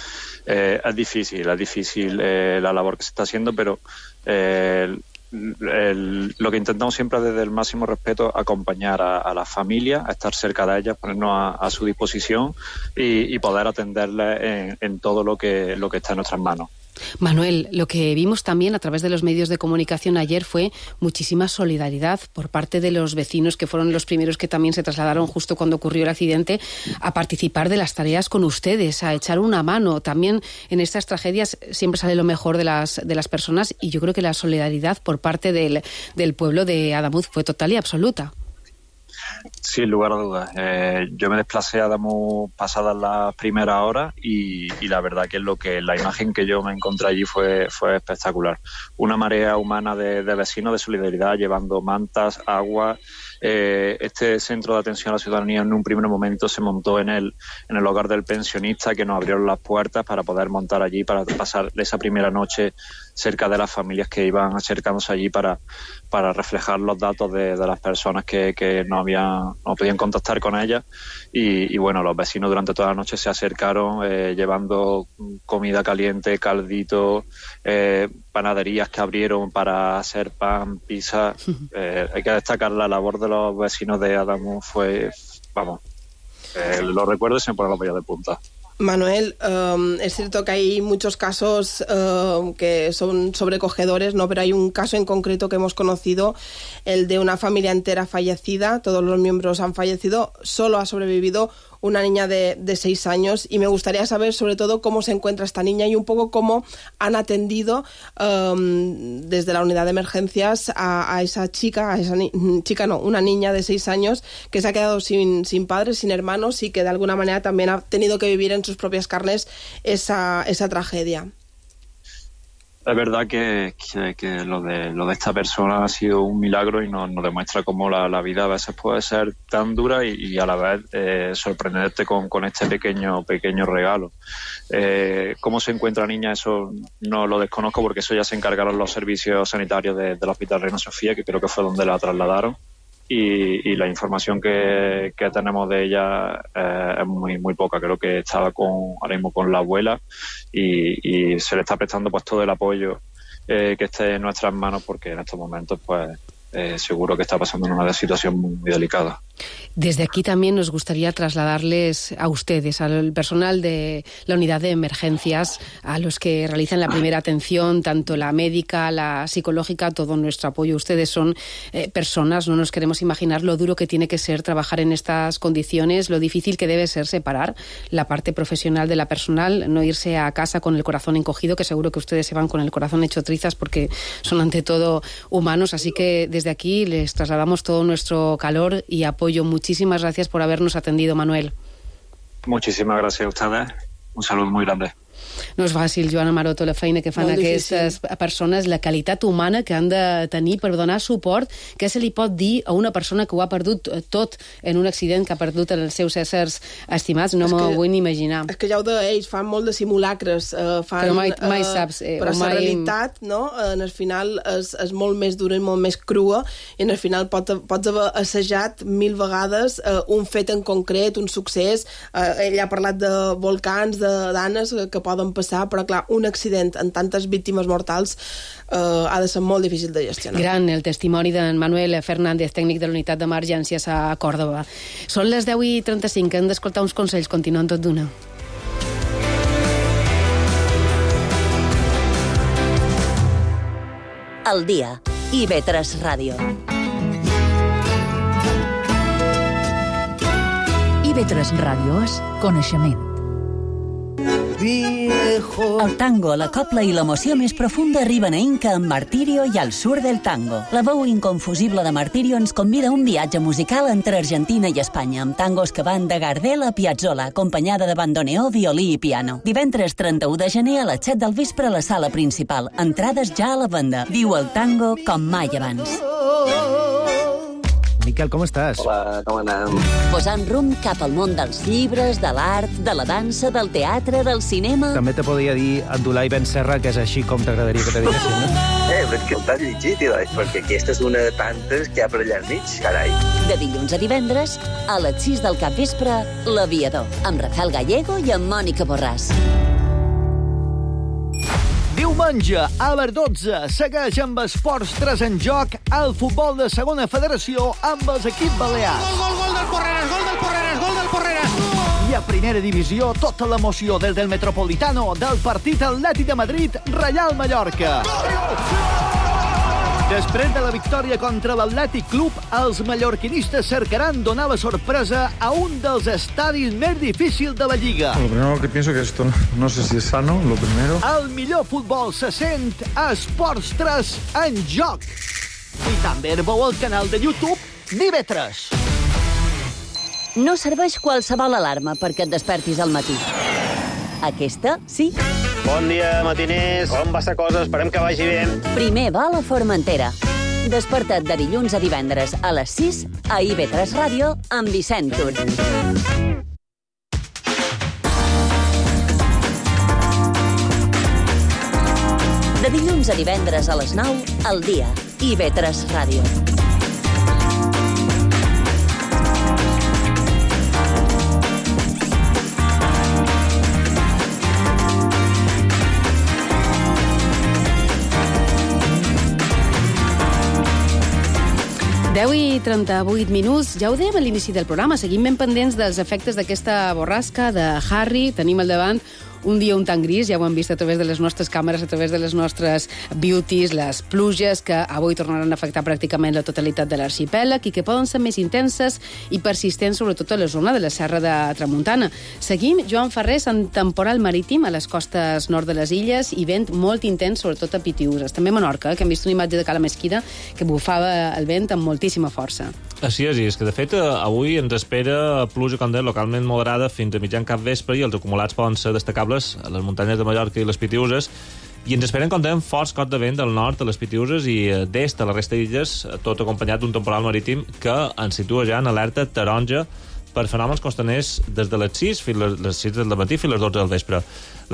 [SPEAKER 14] eh, es difícil, es difícil eh, la labor que se está haciendo, pero eh, el, el, lo que intentamos siempre es desde el máximo respeto acompañar a, a las familias, a estar cerca de ellas, ponernos a, a su disposición y, y poder atenderles en, en todo lo que, lo que está en nuestras manos.
[SPEAKER 10] Manuel, lo que vimos también a través de los medios de comunicación ayer fue muchísima solidaridad por parte de los vecinos, que fueron los primeros que también se trasladaron justo cuando ocurrió el accidente, a participar de las tareas con ustedes, a echar una mano. También en estas tragedias siempre sale lo mejor de las, de las personas, y yo creo que la solidaridad por parte del, del pueblo de Adamuz fue total y absoluta.
[SPEAKER 14] Sin lugar a dudas. Eh, yo me desplacé a Adamuz pasadas las primeras horas y, y la verdad que es lo que la imagen que yo me encontré allí fue, fue espectacular. Una marea humana de, de vecinos de solidaridad llevando mantas, agua. Eh, este centro de atención a la ciudadanía en un primer momento se montó en el, en el hogar del pensionista, que nos abrieron las puertas para poder montar allí, para pasar esa primera noche cerca de las familias que iban acercándose allí para, para reflejar los datos de, de las personas que, que no habían, no podían contactar con ellas. Y, y bueno, los vecinos durante toda la noche se acercaron eh, llevando comida caliente, caldito, eh, panaderías que abrieron para hacer pan, pizza. Eh, hay que destacar la labor de los vecinos de Adamuz, fue, vamos, eh, lo recuerdo y se me ponen los vellos de punta.
[SPEAKER 6] Manuel, um, es cierto que hay muchos casos uh, que son sobrecogedores, ¿no? Pero hay un caso en concreto que hemos conocido, el de una familia entera fallecida, todos los miembros han fallecido, solo ha sobrevivido una niña de, de seis años, y me gustaría saber sobre todo cómo se encuentra esta niña y un poco cómo han atendido um, desde la unidad de emergencias a, a esa chica, a esa ni- chica no, una niña de seis años que se ha quedado sin, sin padres, sin hermanos, y que de alguna manera también ha tenido que vivir en sus propias carnes esa, esa tragedia.
[SPEAKER 14] Es verdad que, que, que lo de lo de esta persona ha sido un milagro y nos, nos demuestra cómo la, la vida a veces puede ser tan dura y, y a la vez eh, sorprenderte con, con este pequeño pequeño regalo. Eh, ¿Cómo se encuentra la niña? Eso no lo desconozco, porque eso ya se encargaron los servicios sanitarios de, del Hospital Reina Sofía, que creo que fue donde la trasladaron. Y, y la información que, que tenemos de ella eh, es muy muy poca. Creo que estaba con ahora mismo con la abuela y, y se le está prestando pues todo el apoyo eh, que esté en nuestras manos, porque en estos momentos pues eh, seguro que está pasando en una situación muy, muy delicada.
[SPEAKER 10] Desde aquí también nos gustaría trasladarles a ustedes, al personal de la unidad de emergencias, a los que realizan la primera atención, tanto la médica, la psicológica, todo nuestro apoyo. Ustedes son eh, personas, no nos queremos imaginar lo duro que tiene que ser trabajar en estas condiciones, lo difícil que debe ser separar la parte profesional de la personal, no irse a casa con el corazón encogido, que seguro que ustedes se van con el corazón hecho trizas porque son ante todo humanos. Así que desde aquí les trasladamos todo nuestro calor y apoyo. Muchísimas gracias por habernos atendido, Manuel.
[SPEAKER 14] Muchísimas gracias a ustedes. Un saludo muy grande.
[SPEAKER 10] No és fàcil, Joana Maroto, la feina que fan
[SPEAKER 6] Molt
[SPEAKER 10] aquestes
[SPEAKER 6] difícil.
[SPEAKER 10] persones, la qualitat humana que han de tenir per donar suport. Què se li pot dir a una persona que ho ha perdut tot en un accident, que ha perdut els seus éssers estimats? No m'ho vull ni imaginar.
[SPEAKER 6] És que ja ho deia, ells fan molt de simulacres, eh, fan,
[SPEAKER 10] Però mai, mai
[SPEAKER 6] eh,
[SPEAKER 10] saps. Eh,
[SPEAKER 6] però
[SPEAKER 10] o
[SPEAKER 6] la
[SPEAKER 10] mai...
[SPEAKER 6] realitat, no?, en el final és, és molt més dura i molt més crua, i en el final pot, pots haver assajat mil vegades eh, un fet en concret, un succés. Eh, ell ha parlat de volcans, de danes que poden passar, però clar, un accident amb tantes víctimes mortals eh, ha de ser molt difícil de gestionar.
[SPEAKER 10] Gran el testimoni d'en Manuel Fernández, tècnic de l'unitat d'emergències a Còrdova. Són les deu i trenta-cinc, hem d'escoltar uns consells, continuen tot d'una.
[SPEAKER 4] El dia. I ve tres Ràdio.
[SPEAKER 1] I ve tres Ràdio és coneixement.
[SPEAKER 4] El tango, la copla i l'emoció més profunda arriben a Inca amb Martirio i al sur del tango. La veu inconfusible de Martirio ens convida a un viatge musical entre Argentina i Espanya, amb tangos que van de Gardel a Piazzolla, acompanyada de bandoneó, violí i piano. Divendres trenta-u de gener a les set del vespre a la sala principal. Entrades ja a la venda. Viu el tango com mai abans.
[SPEAKER 2] Miquel, com estàs?
[SPEAKER 3] Hola, com anem?
[SPEAKER 4] Posant rumb cap al món dels llibres, de l'art, de la dansa, del teatre, del cinema...
[SPEAKER 2] També te podria dir Abdulai Ben Serra, que és així com t'agradaria que te diguessin, no?
[SPEAKER 3] Eh, però és que t'has llegit, tio, perquè aquesta és una de tantes que hi ha per allà al mig, carai.
[SPEAKER 4] De dilluns a divendres, a les sis del capvespre, L'Aviador, amb Rafael Gallego i amb Mònica Borràs.
[SPEAKER 15] Diumenge, a les dotze, segueix amb Esports tres en joc el futbol de segona federació amb els equips balears.
[SPEAKER 16] Gol, gol, gol del Porreres, gol del Porreres, gol del Porreres!
[SPEAKER 15] I a primera divisió, tota l'emoció des del Metropolitano del partit Atlètic de Madrid, Reial Mallorca. Després de la victòria contra l'Atlètic Club, els mallorquinistes cercaran donar la sorpresa a un dels estadis més difícils de la Lliga.
[SPEAKER 9] Lo primero que pienso que esto no, no sé si es sano, lo primero.
[SPEAKER 15] El millor futbol se sent a Esports tres en joc. I també veu el canal de YouTube Vive tres.
[SPEAKER 4] No serveix qualsevol alarma perquè et despertis al matí. Aquesta, sí.
[SPEAKER 5] Bon dia, matiners. Com va la cosa? Esperem que vagi bé.
[SPEAKER 4] Primer va a la Formentera. Desperta't de dilluns a divendres a les sis a I V tres Ràdio amb Vicent Tur. De dilluns a divendres a les nou, al dia. I V tres Ràdio.
[SPEAKER 10] deu i trenta-vuit minuts. Ja ho dèiem a l'inici del programa, seguim ben pendents dels efectes d'aquesta borrasca de Harry. Tenim al davant un dia un tant gris, ja ho hem vist a través de les nostres càmeres, a través de les nostres beauties, les pluges que avui tornaran a afectar pràcticament la totalitat de l'arxipèlag i que poden ser més intenses i persistents, sobretot a la zona de la Serra de Tramuntana. Seguim, Joan Ferrés, en temporal marítim a les costes nord de les illes i vent molt intens, sobretot a Pitiüses. També a Menorca, que hem vist una imatge de Cala Mesquida que bufava el vent amb moltíssima força.
[SPEAKER 9] Així és, i és que de fet avui ens espera pluja, com deia, localment moderada fins a mitjan cap vespre i els acumulats poden ser destacables a les muntanyes de Mallorca i les Pitiüses, i ens esperen, com dèiem, forts cots de vent del nord a les Pitiüses i d'est a la resta d'illes, tot acompanyat d'un temporal marítim que ens situa ja en alerta taronja per fenòmens costaners des de les sis fins a les sis del matí fins a les dotze del vespre.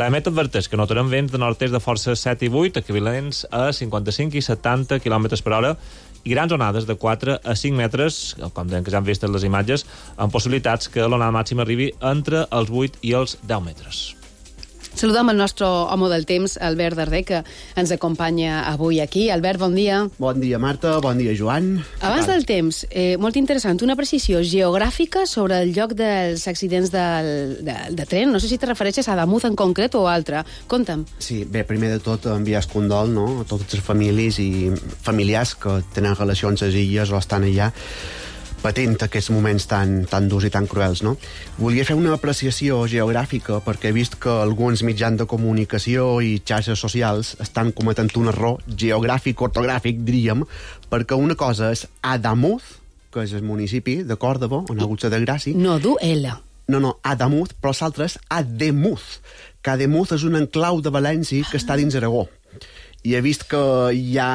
[SPEAKER 9] L'Emet adverteix que notarem vents de nord-est de força set i vuit, equivalents a cinquanta-cinc i setanta quilòmetres per hora, i grans onades de quatre a cinc metres, com deien que ja han vist en les imatges, amb possibilitats que l'onada màxima arribi entre els vuit i els deu metres.
[SPEAKER 10] Saludem el nostre home del temps, Albert Darder, que ens acompanya avui aquí. Albert, bon dia.
[SPEAKER 17] Bon dia, Marta. Bon dia, Joan.
[SPEAKER 10] Abans del temps, eh, molt interessant, una precisió geogràfica sobre el lloc dels accidents del, de, de tren. No sé si te refereixes a Adamuz en concret o altre. Conta'm.
[SPEAKER 17] Sí, bé, primer de tot enviar el condol, no?, a totes les famílies i familiars que tenen relacions a les illes o estan allà patint aquests moments tan, tan durs i tan cruels, no? Volia fer una apreciació geogràfica perquè he vist que alguns mitjans de comunicació i xarxes socials estan cometent un error geogràfic, ortogràfic, diríem, perquè una cosa és Adamuz, que és el municipi de Còrdova, on ha hagut la desgràcia.
[SPEAKER 10] No du L.
[SPEAKER 17] No, no, Adamuz, però l'altre és Ademuz, que Ademuz és un enclau de València que està dins Aragó. I he vist que hi ha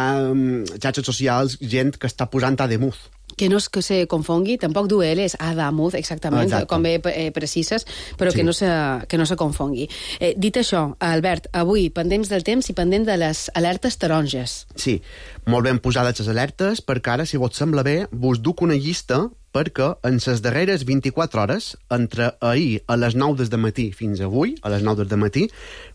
[SPEAKER 17] xarxes socials, gent que està posant Ademuz.
[SPEAKER 10] Que no és que se confongui, tampoc du L, és Adamuz, exactament,
[SPEAKER 17] Exacte.
[SPEAKER 10] com bé eh, precises, però sí. que, no se, que no se confongui. Eh, dit això, Albert, avui pendents del temps i pendent de les alertes taronges.
[SPEAKER 17] Sí, molt ben posades les alertes, perquè ara, si vos sembla bé, vos duc una llista perquè en les darreres vint-i-quatre hores, entre ahir a les nou del matí fins avui, a les nou del matí,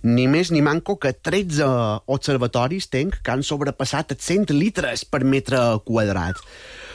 [SPEAKER 17] ni més ni manco que tretze observatoris tenc que han sobrepassat els cent litres per metre quadrat.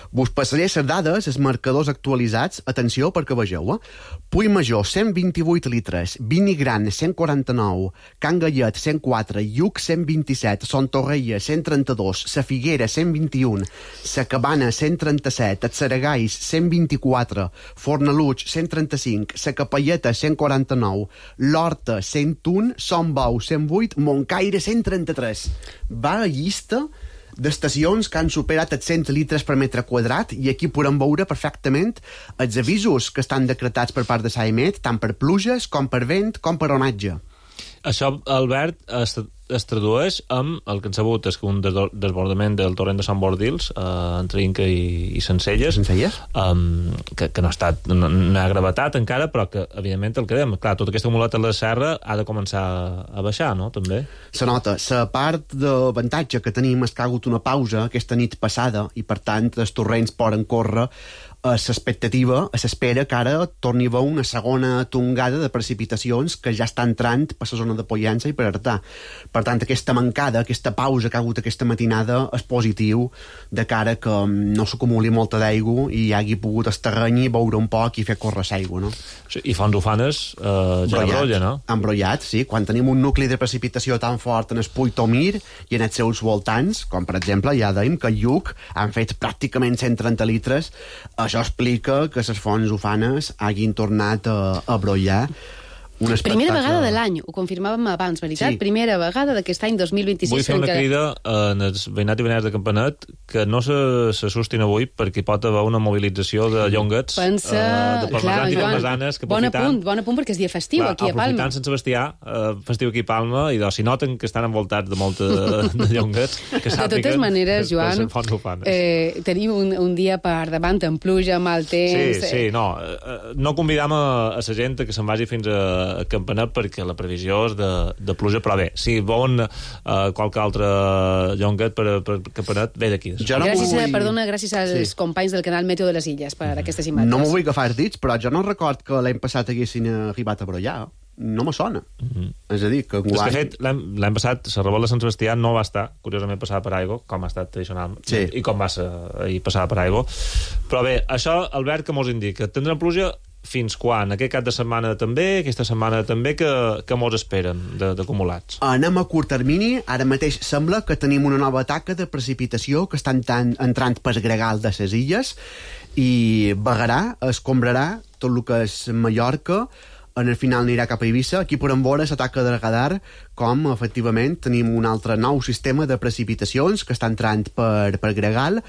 [SPEAKER 17] Vos passaré les dades, els marcadors actualitzats, atenció perquè vegeu, eh? Puig Major, cent vint-i-vuit litres, Vini Gran, cent quaranta-nou, Can Gallet, cent quatre, Lluc, cent vint-i-set, Son Torreia, cent trenta-dos, Sa Figuera, cent vint-i-un, Sa Cabana, cent trenta-set, Saragais, cent vint-i-quatre, Fornaluig, cent trenta-cinc, Sa Capelleta, cent quaranta-nou, l'Horta, cent un, Son Bou, cent vuit, Montcaire, cent trenta-tres. Va a llista d'estacions que han superat els cent litres per metre quadrat i aquí podem veure perfectament els avisos que estan decretats per part de Saemet, tant per pluges com per vent com per onatge.
[SPEAKER 9] Això, Albert, es, es tradueix amb el que hem sabut és que un desbordament del torrent de Sant Bordils eh, entre Inca i, i Sencelles,
[SPEAKER 17] Sencelles?
[SPEAKER 9] Um, que, que no ha estat no, no ha gravetat encara, però que evidentment el que dèiem, clar, tot aquest acumulat a la serra ha de començar a baixar, no?, també.
[SPEAKER 17] Se nota, la part d'avantatge que tenim és que ha hagut una pausa aquesta nit passada i per tant els torrents poden córrer a l'expectativa, a l'espera que ara torni a haver una segona tongada de precipitacions que ja està entrant per la zona de Pollença i per Artà. Per tant, aquesta mancada, aquesta pausa que ha hagut aquesta matinada és positiu de cara que no s'acumuli molta d'aigua i hi hagi pogut esterrenyi, beure un poc i fer córrer l'aigua, no?
[SPEAKER 9] Sí, i Fons Ufanes eh, ja embrolla, no?
[SPEAKER 17] Embrollat, sí. Quan tenim un nucli de precipitació tan fort en el Puig Tomir i en els seus voltants, com per exemple ja dèiem que a Lluc han fet pràcticament cent trenta litres, això explica que les fonts ufanes hagin tornat a, a brollar. Un
[SPEAKER 10] Primera vegada de l'any, ho confirmàvem abans, veritat? Sí. Primera vegada d'aquest any dos mil vint-i-sis.
[SPEAKER 9] Vull fer una
[SPEAKER 10] encara...
[SPEAKER 9] crida en els veïnats i veïnats de Campanet que no s'assustin avui perquè hi pot haver una mobilització de llonguets,
[SPEAKER 10] Pensa...
[SPEAKER 9] uh, de parmesans i
[SPEAKER 10] Joan,
[SPEAKER 9] parmesanes que
[SPEAKER 10] bon
[SPEAKER 9] aprofitant...
[SPEAKER 10] apunt, bon apunt perquè és dia festiu clar, aquí a Palma.
[SPEAKER 9] Aprofitant Sant Sebastià, uh, festiu aquí a Palma, i doncs, si noten que estan envoltats de molta de llonguets, que sàpiguen...
[SPEAKER 10] De totes maneres, Joan,
[SPEAKER 9] que
[SPEAKER 10] eh, tenim un, un dia per davant amb pluja, mal temps...
[SPEAKER 9] Sí, sí, no. Uh, no convidam a, a la gent que se'n vagi fins a, a Campanet perquè que la previsió és de, de pluja, però bé, si volen uh, qualque altre llonguet per, per Campanet, ve d'aquí.
[SPEAKER 10] No gràcies, vull... a, perdona, gràcies als sí. companys del canal Meteo de les Illes per mm. aquestes imatges.
[SPEAKER 17] No m'ho vull agafar dits, però jo no record que l'any passat haguessin arribat a brollar. No me sona. Mm-hmm. És a dir, que...
[SPEAKER 9] Guai... És que, fet, l'any passat, la revolta de Sant Sebastià no va estar, curiosament, passada per aigua, com ha estat tradicional,
[SPEAKER 17] sí.
[SPEAKER 9] i com va ser ahir passada per aigua. Però bé, això, Albert, que mos indica? Tindrem pluja fins quan? Aquest cap de setmana també, aquesta setmana també, que, que molts esperen d'acumulats?
[SPEAKER 17] Anem a curt termini. Ara mateix sembla que tenim una nova taca de precipitació que està entrant, entrant per Gregal de ses Illes i vagarà, escombrarà tot el que és Mallorca. En el final anirà cap a Eivissa. Aquí podem veure la taca de radar com, efectivament, tenim un altre nou sistema de precipitacions que està entrant per, per Gregal.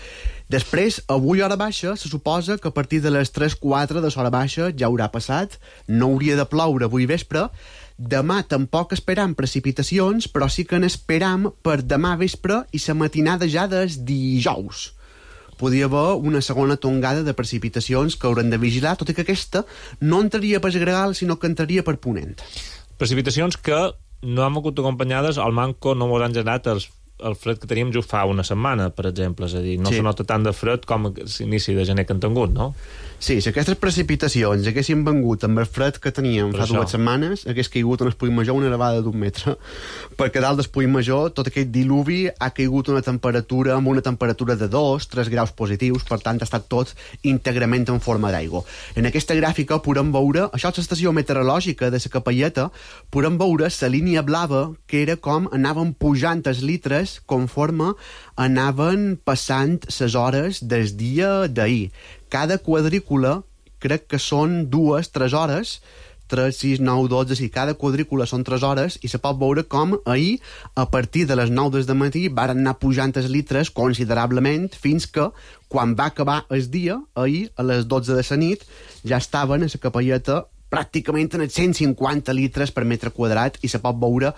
[SPEAKER 17] Després, avui hora baixa, se suposa que a partir de les tres quatre de l'hora baixa ja haurà passat. No hauria de ploure avui vespre. Demà tampoc esperam precipitacions, però sí que n'esperam per demà vespre i la matinada ja des dijous. Podria haver una segona tongada de precipitacions que haurem de vigilar, tot i que aquesta no entraria per Gregal, sinó que entraria per Ponent.
[SPEAKER 9] Precipitacions que no han hagut acompanyades, al manco no ens han generat els, el fred que teníem just fa una setmana, per exemple. És a dir, no sí. se nota tant de fred com l'inici de gener que han tingut, no?
[SPEAKER 17] Sí, si aquestes precipitacions haguessin vengut amb el fred que teníem fa dues setmanes, hagués caigut en el Puig Major una nevada d'un metre. Perquè dalt del Puig Major, tot aquest diluvi ha caigut una temperatura amb una temperatura de dos, tres graus positius, per tant ha estat tot íntegrament en forma d'aigua. En aquesta gràfica podem veure, això és l'estació meteorològica de la Capelleta, podem veure la línia blava, que era com anaven pujant els litres conforme anaven passant les hores del dia d'ahir. Cada quadrícula, crec que són dues, tres hores, tres, sis, nou, dotze, sí, cada quadrícula són tres hores, i se pot veure com ahir, a partir de les nou del matí, varen anar pujant els litres considerablement, fins que, quan va acabar el dia, ahir, a les dotze de la nit, ja estaven a la Capelleta pràcticament en els cent cinquanta litres per metre quadrat, i se pot veure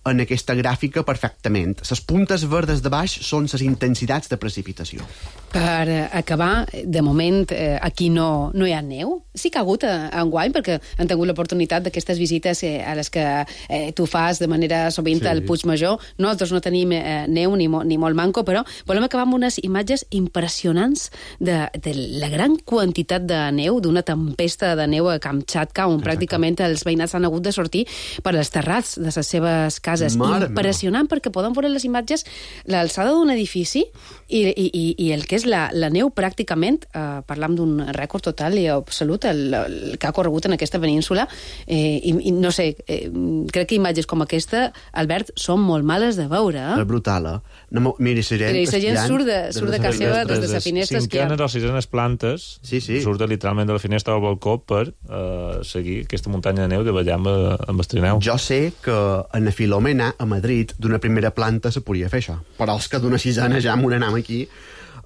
[SPEAKER 17] en aquesta gràfica perfectament. Les puntes verdes de baix són les intensitats de precipitació.
[SPEAKER 10] Per acabar, de moment, eh, aquí no, no hi ha neu. Sí que ha hagut eh, enguany, perquè han tingut l'oportunitat d'aquestes visites eh, a les que eh, tu fas de manera sovint sí. al Puig Major. Nosaltres no tenim eh, neu ni, mo, ni molt manco, però volem acabar amb unes imatges impressionants de, de la gran quantitat de neu, d'una tempesta de neu a Kamchatka, on Exacte. pràcticament els veïnats han hagut de sortir per als terrats de les seves cases. Mare impressionant, perquè podem veure les imatges l'alçada d'un edifici i, i, i el que és la, la neu pràcticament, eh, parlam d'un rècord total i absolut, el, el que ha corregut en aquesta península, eh, i, i no sé, eh, crec que imatges com aquesta, Albert, són molt males de veure. Eh?
[SPEAKER 17] És brutal, eh? No, miri, la gent,
[SPEAKER 10] la gent surt de, surt de casa seva des de la finestra.
[SPEAKER 9] Cinquenes o sisenes plantes,
[SPEAKER 17] sí, sí.
[SPEAKER 9] surt literalment de la finestra al balcó per eh, seguir aquesta muntanya de neu de ballar amb, amb el trineu.
[SPEAKER 17] Jo sé que en la Filomena, a Madrid, d'una primera planta se podia fer això, però els que d'una sisena ja m'ho anem aquí.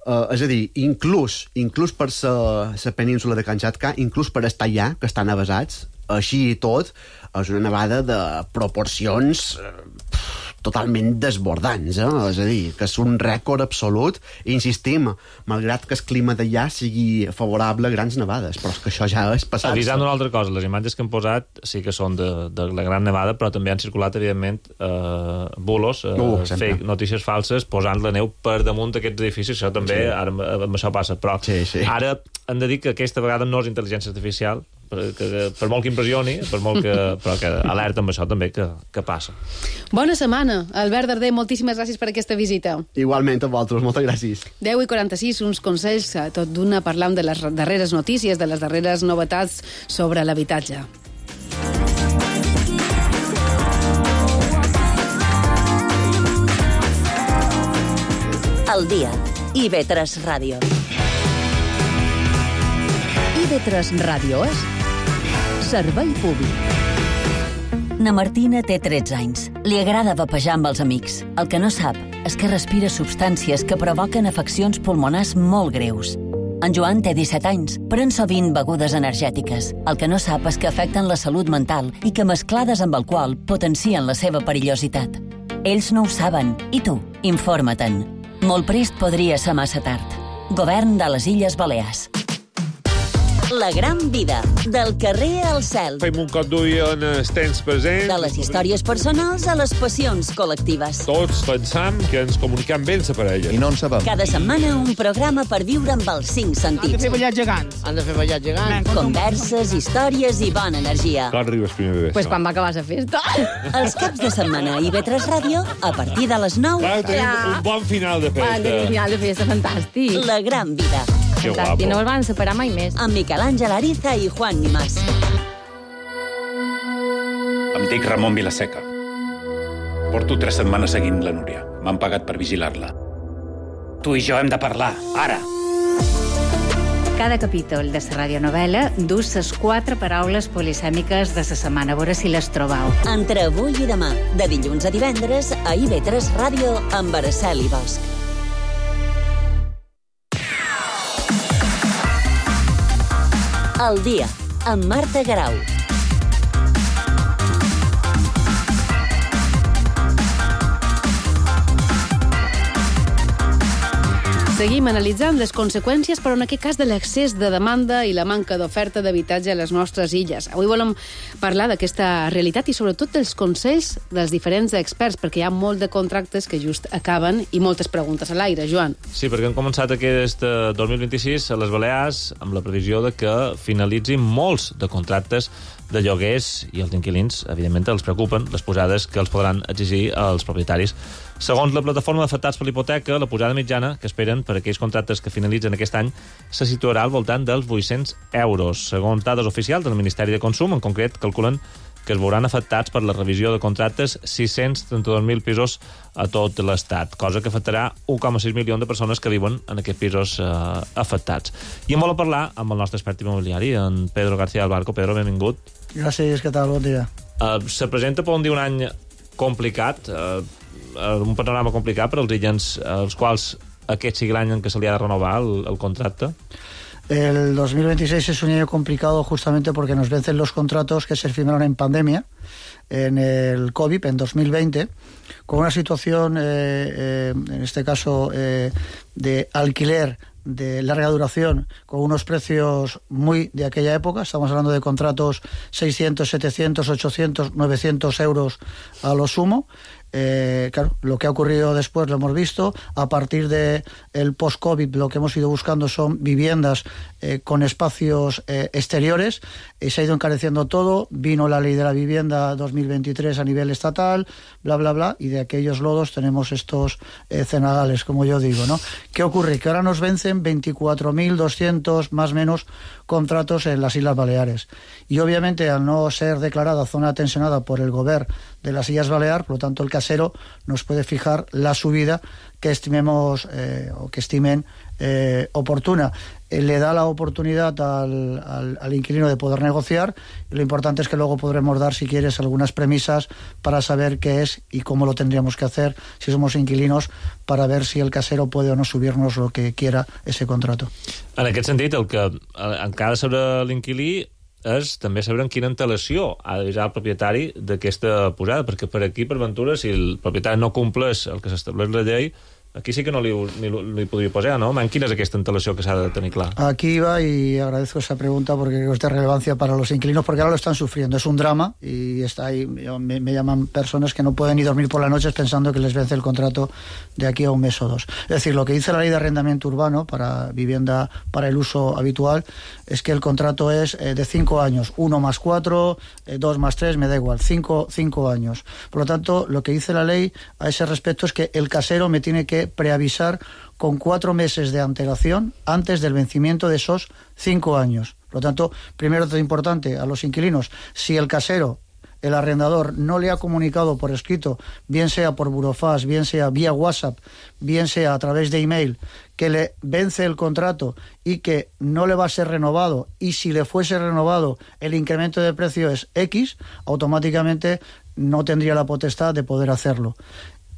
[SPEAKER 17] Uh, és a dir, inclús, inclús per la península de Kamchatka, inclús per estar allà, que estan avasats, així i tot, és una nevada de proporcions uh, totalment desbordants, eh? És a dir, que és un rècord absolut, i insistim, malgrat que el clima d'allà sigui favorable a grans nevades, però és que això ja és passat.
[SPEAKER 9] Avisant una altra cosa, les imatges que han posat sí que són de, de la gran nevada, però també han circulat, evidentment, eh, bulos, eh, uh, fake, notícies falses, posant la neu per damunt d'aquests edificis. Això també, sí. ara amb això passa, però
[SPEAKER 17] sí, sí.
[SPEAKER 9] ara hem de dir que aquesta vegada no és intel·ligència artificial, per, que, per molt que impressioni, per molt que, però que alerta amb això també que, que passa.
[SPEAKER 10] Bona setmana, Albert Darder, moltíssimes gràcies per aquesta visita.
[SPEAKER 17] Igualment a vosaltres, moltes gràcies.
[SPEAKER 10] deu i quaranta-sis, uns consells, tot d'una parlant de les darreres notícies, de les darreres novetats sobre l'habitatge.
[SPEAKER 4] El dia. I ve tres Ràdio.
[SPEAKER 1] I ve tres Ràdio és servei públic.
[SPEAKER 4] Na Martina té tretze anys. Li agrada vapejar amb els amics. El que no sap és que respira substàncies que provoquen afeccions pulmonars molt greus. En Joan té disset anys, pren sovint begudes energètiques. El que no sap és que afecten la salut mental i que mesclades amb alcohol potencien la seva perillositat. Ells no ho saben. I tu? Informa-te'n. Molt prest podria ser massa tard. Govern de les Illes Balears. La gran vida, del carrer al cel.
[SPEAKER 18] Fem un cop d'ull en el temps present.
[SPEAKER 4] De les històries personals a les passions col·lectives.
[SPEAKER 18] Tots pensam que ens comunicam bé la parella.
[SPEAKER 19] I no en sabem.
[SPEAKER 4] Cada setmana un programa per viure amb els cinc sentits.
[SPEAKER 16] Han de fer ballar gegants.
[SPEAKER 19] Han de fer ballar gegants.
[SPEAKER 4] Converses, històries i bona energia.
[SPEAKER 18] Quan arribes primer de
[SPEAKER 10] Pues quan va acabar la festa.
[SPEAKER 4] Els caps de setmana a I V tres Ràdio, a partir de les nou.
[SPEAKER 18] Clar, tenim un bon final de festa.
[SPEAKER 10] Un final de festa fantàstic.
[SPEAKER 4] La gran vida.
[SPEAKER 19] fantàstic. No els van separar mai més.
[SPEAKER 4] Amb Miquel Àngel Ariza i Juan Nimás.
[SPEAKER 20] Em dic Ramon Vilaseca. Porto tres setmanes seguint la Núria. M'han pagat per vigilar-la. Tu i jo hem de parlar, ara.
[SPEAKER 21] Cada capítol de la radionovela dus les quatre paraules polisèmiques de la setmana. A veure si les trobau.
[SPEAKER 4] Entre avui i demà, de dilluns a divendres, a I V tres Ràdio amb Araceli Bosch. El dia, amb Marta Garau.
[SPEAKER 10] Seguim analitzant les conseqüències, però en aquest cas de l'excés de demanda i la manca d'oferta d'habitatge a les nostres illes. Avui volem parlar d'aquesta realitat i sobretot dels consells dels diferents experts, perquè hi ha molt de contractes que just acaben i moltes preguntes a l'aire. Joan.
[SPEAKER 9] Sí, perquè hem començat aquest dos mil vint-i-sis a les Balears amb la previsió de que finalitzin molts de contractes de lloguers i els inquilins, evidentment, els preocupen les pujades que els podran exigir als propietaris. Segons la plataforma d'afectats per l'hipoteca, la pujada mitjana que esperen per aquells contractes que finalitzen aquest any se situarà al voltant dels vuit-cents euros. Segons dades oficials del Ministeri de Consum, en concret, calculen que es veuran afectats per la revisió de contractes sis-cents trenta-dos mil pisos a tot l'Estat, cosa que afectarà un coma sis milions de persones que viuen en aquests pisos eh, afectats. I en volem parlar amb el nostre expert immobiliari, en Pedro García del Barco. Pedro, benvingut.
[SPEAKER 22] Gràcies, què tal? Bon dia.
[SPEAKER 9] Uh, se presenta, podem dir, un any complicat, uh, un panorama complicat per als illens, als quals aquest sigui l'any en què se li ha de renovar el, el contracte.
[SPEAKER 22] El dos mil veintiséis es un año complicado justamente porque nos vencen los contratos que se firmaron en pandemia, en el COVID, en dos mil veinte, con una situación, eh, eh, en este caso, eh, de alquiler de larga duración, con unos precios muy de aquella época. Estamos hablando de contratos seiscientos, setecientos, ochocientos, novecientos euros a lo sumo. Eh, claro, lo que ha ocurrido después lo hemos visto. A partir de el post-COVID, lo que hemos ido buscando son viviendas eh, con espacios eh, exteriores, y se ha ido encareciendo todo. Vino la ley de la vivienda dos mil veintitrés a nivel estatal, bla, bla, bla, y de aquellos lodos tenemos estos eh, cenagales, como yo digo, ¿no? ¿Qué ocurre? Que ahora nos vencen veinticuatro mil doscientos, más o menos, contratos en las Islas Baleares. Y obviamente, al no ser declarada zona tensionada por el Govern de las Islas Baleares, por lo tanto el casero nos puede fijar la subida que estimemos eh, o que estimen eh, oportuna. Eh, le da la oportunidad al, al, al inquilino de poder negociar, y lo importante es que luego podremos dar, si quieres, algunas premisas para saber qué es y cómo lo tendríamos que hacer si somos inquilinos, para ver si el casero puede o no subirnos lo que quiera ese contrato.
[SPEAKER 9] En aquest sentit, el que encara sabrà l'inquilí és també saber en quina antelació ha d'avisar el propietari d'aquesta pujada, perquè per aquí, per ventura, si el propietari no compleix el que s'estableix la llei, aquí sí que no li, ni, li podria posar, ¿no? En quina és aquesta antelació que s'ha de tenir clar?
[SPEAKER 22] Aquí va, y agradezco esa pregunta porque creo que es de relevancia para los inquilinos, porque ahora lo están sufriendo. Es un drama, y está ahí, me, me llaman personas que no pueden ni dormir por las noches pensando que les vence el contrato de aquí a un mes o dos. Es decir, lo que dice la ley de arrendamiento urbano para vivienda para el uso habitual es que el contrato es eh, de cinco años, uno más cuatro, eh, dos más tres, me da igual, cinco, cinco años. Por lo tanto, lo que dice la ley a ese respecto es que el casero me tiene que preavisar con cuatro meses de antelación antes del vencimiento de esos cinco años. Por lo tanto, primero, todo importante a los inquilinos, si el casero, el arrendador, no le ha comunicado por escrito, bien sea por burofax, bien sea vía WhatsApp, bien sea a través de email, que le vence el contrato y que no le va a ser renovado, y si le fuese renovado el incremento de precio es X, automáticamente no tendría la potestad de poder hacerlo.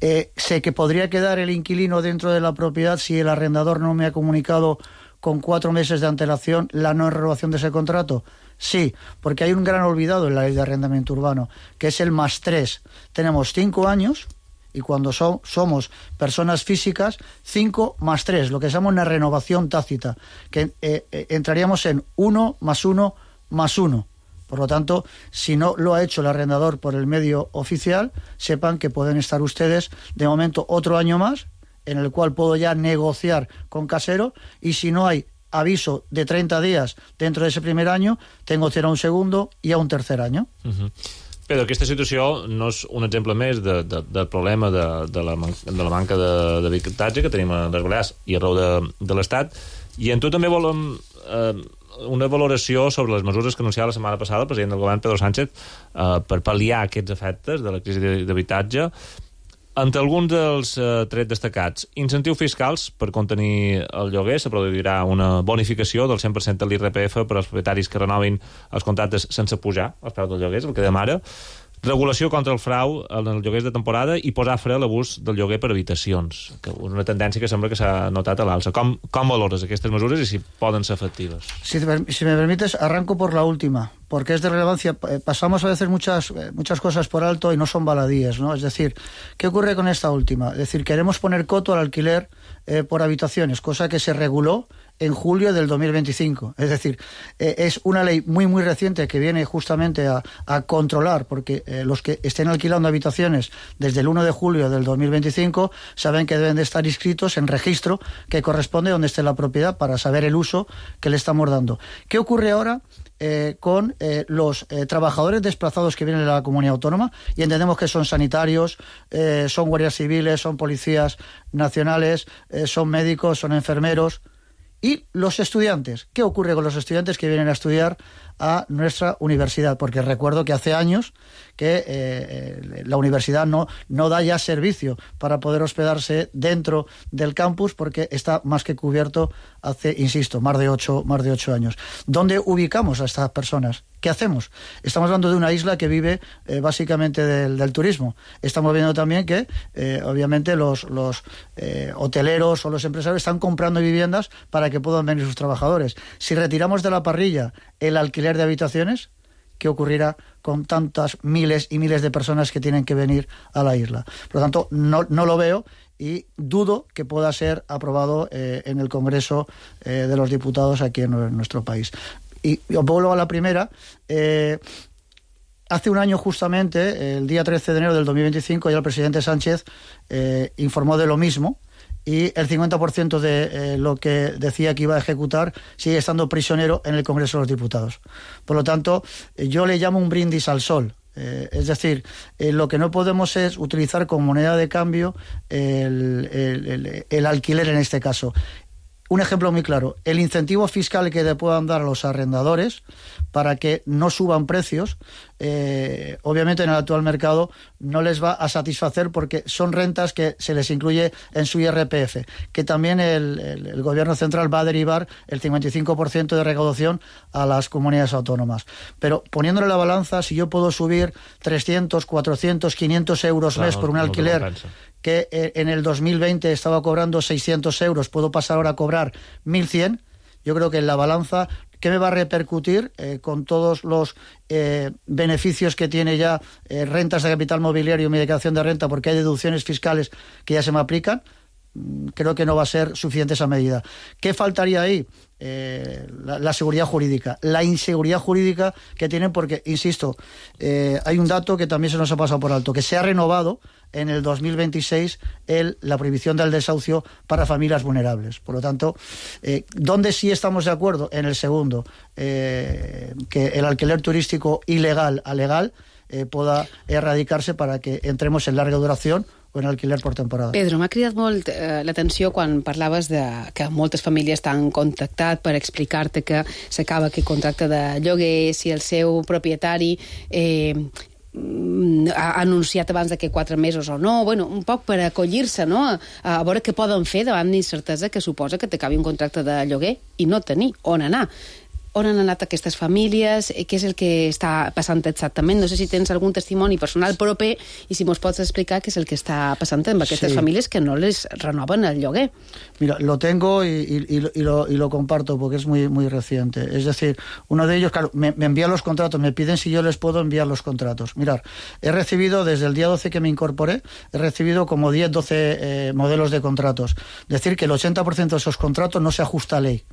[SPEAKER 22] Eh, sé que podría quedar el inquilino dentro de la propiedad si el arrendador no me ha comunicado con cuatro meses de antelación la no renovación de ese contrato. Sí, porque hay un gran olvidado en la ley de arrendamiento urbano, que es el más tres. Tenemos cinco años, y cuando so, somos personas físicas, cinco más tres, lo que se llama una renovación tácita, que eh, eh, entraríamos en uno más uno más uno. Por lo tanto, si no lo ha hecho el arrendador por el medio oficial, sepan que pueden estar ustedes, de momento, otro año más, en el cual puedo ya negociar con casero, y si no hay aviso de treinta días dentro de ese primer año, tengo opción a un segundo y a un tercer año.
[SPEAKER 9] Uh-huh. Però aquesta situació no és un exemple més de, de, del problema de, de, la man, de la manca d'habitatge que tenim a les Balears i arreu de, de l'Estat, I en tu també volem eh, una valoració sobre les mesures que anunciava la setmana passada el president del govern, Pedro Sánchez, eh, per pal·liar aquests efectes de la crisi d'habitatge. Entre alguns dels eh, trets destacats, incentius fiscals per contenir el lloguer, se produirà una bonificació del cent per cent de l'I R P F per als propietaris que renovin els contractes sense pujar els preus del lloguer, el que demana. Regulació contra el frau en els lloguers de temporada i posar fre a l'abús del lloguer per habitacions, que és una tendència que sembla que s'ha notat a l'alça. Com, com valores aquestes mesures i si poden ser efectives?
[SPEAKER 22] Si, si me permites, arranco por la última, porque es de relevancia. Pasamos a veces muchas, muchas cosas por alto y no son baladíes, ¿no? Es decir, ¿qué ocurre con esta última? Es decir, queremos poner coto al alquiler eh, por habitaciones, cosa que se reguló en julio del dos mil veinticinco. Es decir, eh, es una ley muy, muy reciente que viene justamente a, a controlar, porque eh, los que estén alquilando habitaciones desde el uno de julio del dos mil veinticinco saben que deben de estar inscritos en registro que corresponde donde esté la propiedad para saber el uso que le estamos dando. ¿Qué ocurre ahora eh, con eh, los eh, trabajadores desplazados que vienen de la comunidad autónoma? Y entendemos que son sanitarios, eh, son guardias civiles, son policías nacionales, eh, son médicos, son enfermeros. Y los estudiantes, ¿qué ocurre con los estudiantes que vienen a estudiar a nuestra universidad? Porque recuerdo que hace años que eh, la universidad no, no da ya servicio para poder hospedarse dentro del campus porque está más que cubierto hace, insisto, más de ocho, más de ocho años. ¿Dónde ubicamos a estas personas? ¿Qué hacemos? Estamos hablando de una isla que vive eh, básicamente del, del turismo. Estamos viendo también que, eh, obviamente, los, los eh, hoteleros o los empresarios están comprando viviendas para que puedan venir sus trabajadores. Si retiramos de la parrilla el alquiler de habitaciones, ¿qué ocurrirá con tantas miles y miles de personas que tienen que venir a la isla? Por lo tanto, no, no lo veo y dudo que pueda ser aprobado eh, en el Congreso eh, de los Diputados aquí en, en nuestro país. Y os vuelvo a la primera. Eh, hace un año justamente, el día trece de enero del dos mil veinticinco, ya el presidente Sánchez eh, informó de lo mismo y el cincuenta por ciento de eh, lo que decía que iba a ejecutar sigue estando prisionero en el Congreso de los Diputados. Por lo tanto, eh, yo le llamo un brindis al sol. Eh, es decir, eh, lo que no podemos es utilizar como moneda de cambio el, el, el, el alquiler en este caso. Un ejemplo muy claro, el incentivo fiscal que le puedan dar a los arrendadores para que no suban precios, eh, obviamente en el actual mercado no les va a satisfacer porque son rentas que se les incluye en su I R P F, que también el, el, el gobierno central va a derivar el cincuenta y cinco por ciento de recaudación a las comunidades autónomas. Pero poniéndole la balanza, si yo puedo subir trescientos, cuatrocientos, quinientos euros
[SPEAKER 9] claro,
[SPEAKER 22] mes por un
[SPEAKER 9] no,
[SPEAKER 22] alquiler
[SPEAKER 9] no
[SPEAKER 22] que en el dos mil veinte estaba cobrando seiscientos euros, puedo pasar ahora a cobrar mil cien, yo creo que en la balanza, ¿qué me va a repercutir eh, con todos los eh, beneficios que tiene ya eh, rentas de capital mobiliario y medicación de renta, porque hay deducciones fiscales que ya se me aplican? Creo que no va a ser suficiente esa medida. ¿Qué faltaría ahí? Eh, la, la seguridad jurídica, la inseguridad jurídica que tienen, porque, insisto, eh, hay un dato que también se nos ha pasado por alto, que se ha renovado en el dos mil veintiséis el, la prohibición del desahucio para familias vulnerables. Por lo tanto, eh, ¿dónde sí estamos de acuerdo? En el segundo, eh, que el alquiler turístico ilegal a legal eh, pueda erradicarse para que entremos en larga duración o en alquiler per temporada.
[SPEAKER 10] Pedro, m'ha cridat molt eh, l'atenció quan parlaves de que moltes famílies t'han contactat per explicar-te que s'acaba aquest contracte de lloguer, si el seu propietari eh, ha anunciat abans d'aquí quatre mesos o no, bueno, un poc per acollir-se, no? A, a veure què poden fer davant d'incertesa que suposa que t'acabi un contracte de lloguer i no tenir on anar. On han anat aquestes famílies? Què és el que està passant exactament? No sé si tens algun testimoni personal proper i si mos pots explicar què és el que està passant amb aquestes
[SPEAKER 22] sí.
[SPEAKER 10] famílies que no les renoven el lloguer.
[SPEAKER 22] Mira, lo tengo y, y, y, lo, y lo comparto porque es muy, muy reciente. Es decir, uno de ellos, claro, me, me envían los contratos, me piden si yo les puedo enviar los contratos. Mirar, he recibido desde el día doce que me incorporé, he recibido como diez, doce eh, modelos de contratos. Es decir, que el ochenta por ciento de esos contratos no se ajusta a ley.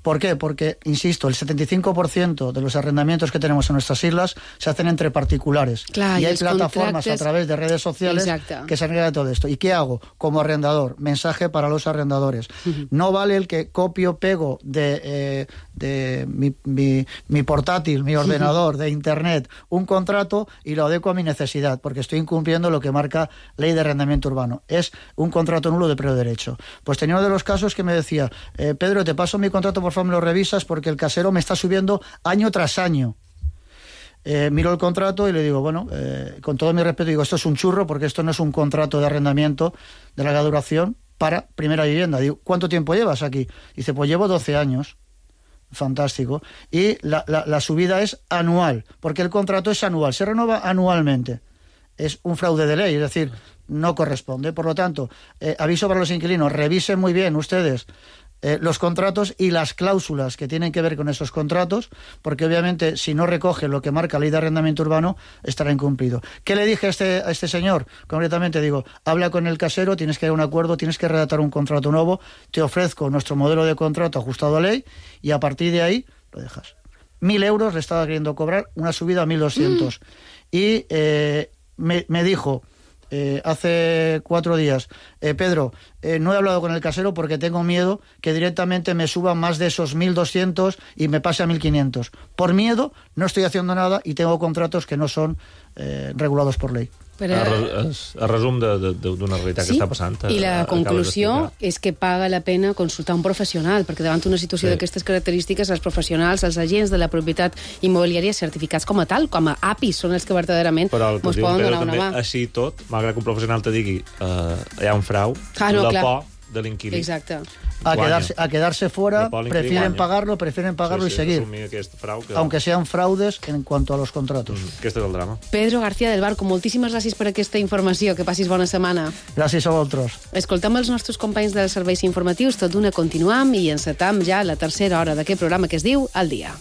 [SPEAKER 22] ¿Por qué? Porque, insisto, el setenta y cinco por ciento de los arrendamientos que tenemos en nuestras islas se hacen entre particulares.
[SPEAKER 10] Clar,
[SPEAKER 22] y
[SPEAKER 10] i
[SPEAKER 22] hay
[SPEAKER 10] els
[SPEAKER 22] plataformas
[SPEAKER 10] contractes-
[SPEAKER 22] a través de redes sociales
[SPEAKER 10] Exacte.
[SPEAKER 22] que se encargan de todo esto. ¿Y qué hago? Como arrendador, mensaje para los arrendadores.
[SPEAKER 10] Ujú.
[SPEAKER 22] No vale el que copio, pego de, eh, de mi, mi, mi portátil, mi ordenador, de internet, un contrato y lo adecuo a mi necesidad, porque estoy incumpliendo lo que marca Ley de Arrendamiento Urbano. Es un contrato nulo de previo derecho. Pues tenía uno de los casos que me decía, eh, Pedro, te paso mi contrato, por favor me lo revisas, porque el casero me está subiendo año tras año. Eh, miro el contrato y le digo, bueno, eh, con todo mi respeto, digo, esto es un churro, porque esto no es un contrato de arrendamiento de larga duración para primera vivienda. Digo, ¿cuánto tiempo llevas aquí? Dice, pues llevo doce años. Fantástico. Y la, la, la subida es anual, porque el contrato es anual, se renueva anualmente. Es un fraude de ley, es decir, no corresponde. Por lo tanto, eh, aviso para los inquilinos, revisen muy bien ustedes eh, los contratos y las cláusulas que tienen que ver con esos contratos, porque obviamente si no recoge lo que marca la Ley de Arrendamiento Urbano, estará incumplido. ¿Qué le dije a este, a este señor? Concretamente digo, habla con el casero, tienes que ir a un acuerdo, tienes que redactar un contrato nuevo, te ofrezco nuestro modelo de contrato ajustado a ley y a partir de ahí lo dejas. Mil euros le estaba queriendo cobrar, una subida a mil doscientos. Mm. Y eh, me, me dijo... Eh, hace cuatro días, eh, Pedro, eh, no he hablado con el casero porque tengo miedo que directamente me suban más de esos mil doscientos y me pase a mil quinientos. Por miedo no estoy haciendo nada y tengo contratos que no son eh, regulados por ley.
[SPEAKER 10] Però...
[SPEAKER 9] A, res, a resum d'una realitat
[SPEAKER 10] sí,
[SPEAKER 9] que està passant.
[SPEAKER 10] I la conclusió és que paga la pena consultar un professional, perquè davant una situació sí. d'aquestes característiques, els professionals, els agents de la propietat immobiliària certificats com a tal, com a A P Is, són els que verdaderament ens poden donar una mà.
[SPEAKER 9] Així tot, malgrat que un professional te digui eh, hi ha un frau,
[SPEAKER 10] ah, no,
[SPEAKER 9] la
[SPEAKER 10] clar.
[SPEAKER 9] por de l'inquilí.
[SPEAKER 22] Exacte. A quedarse, a quedarse fuera, prefieren guanya. pagarlo, prefieren pagarlo sí, sí, y seguir.
[SPEAKER 9] Frau que...
[SPEAKER 22] Aunque sean fraudes en cuanto a los contratos.
[SPEAKER 9] Mm, aquest és el drama.
[SPEAKER 10] Pedro García del Barco, moltíssimes gràcies per aquesta informació. Que passis bona setmana.
[SPEAKER 22] Gràcies a vosaltres.
[SPEAKER 10] Escoltem els nostres companys dels serveis informatius. Tot d'una continuam i encetam ja la tercera hora d'aquest programa que es diu El Dia.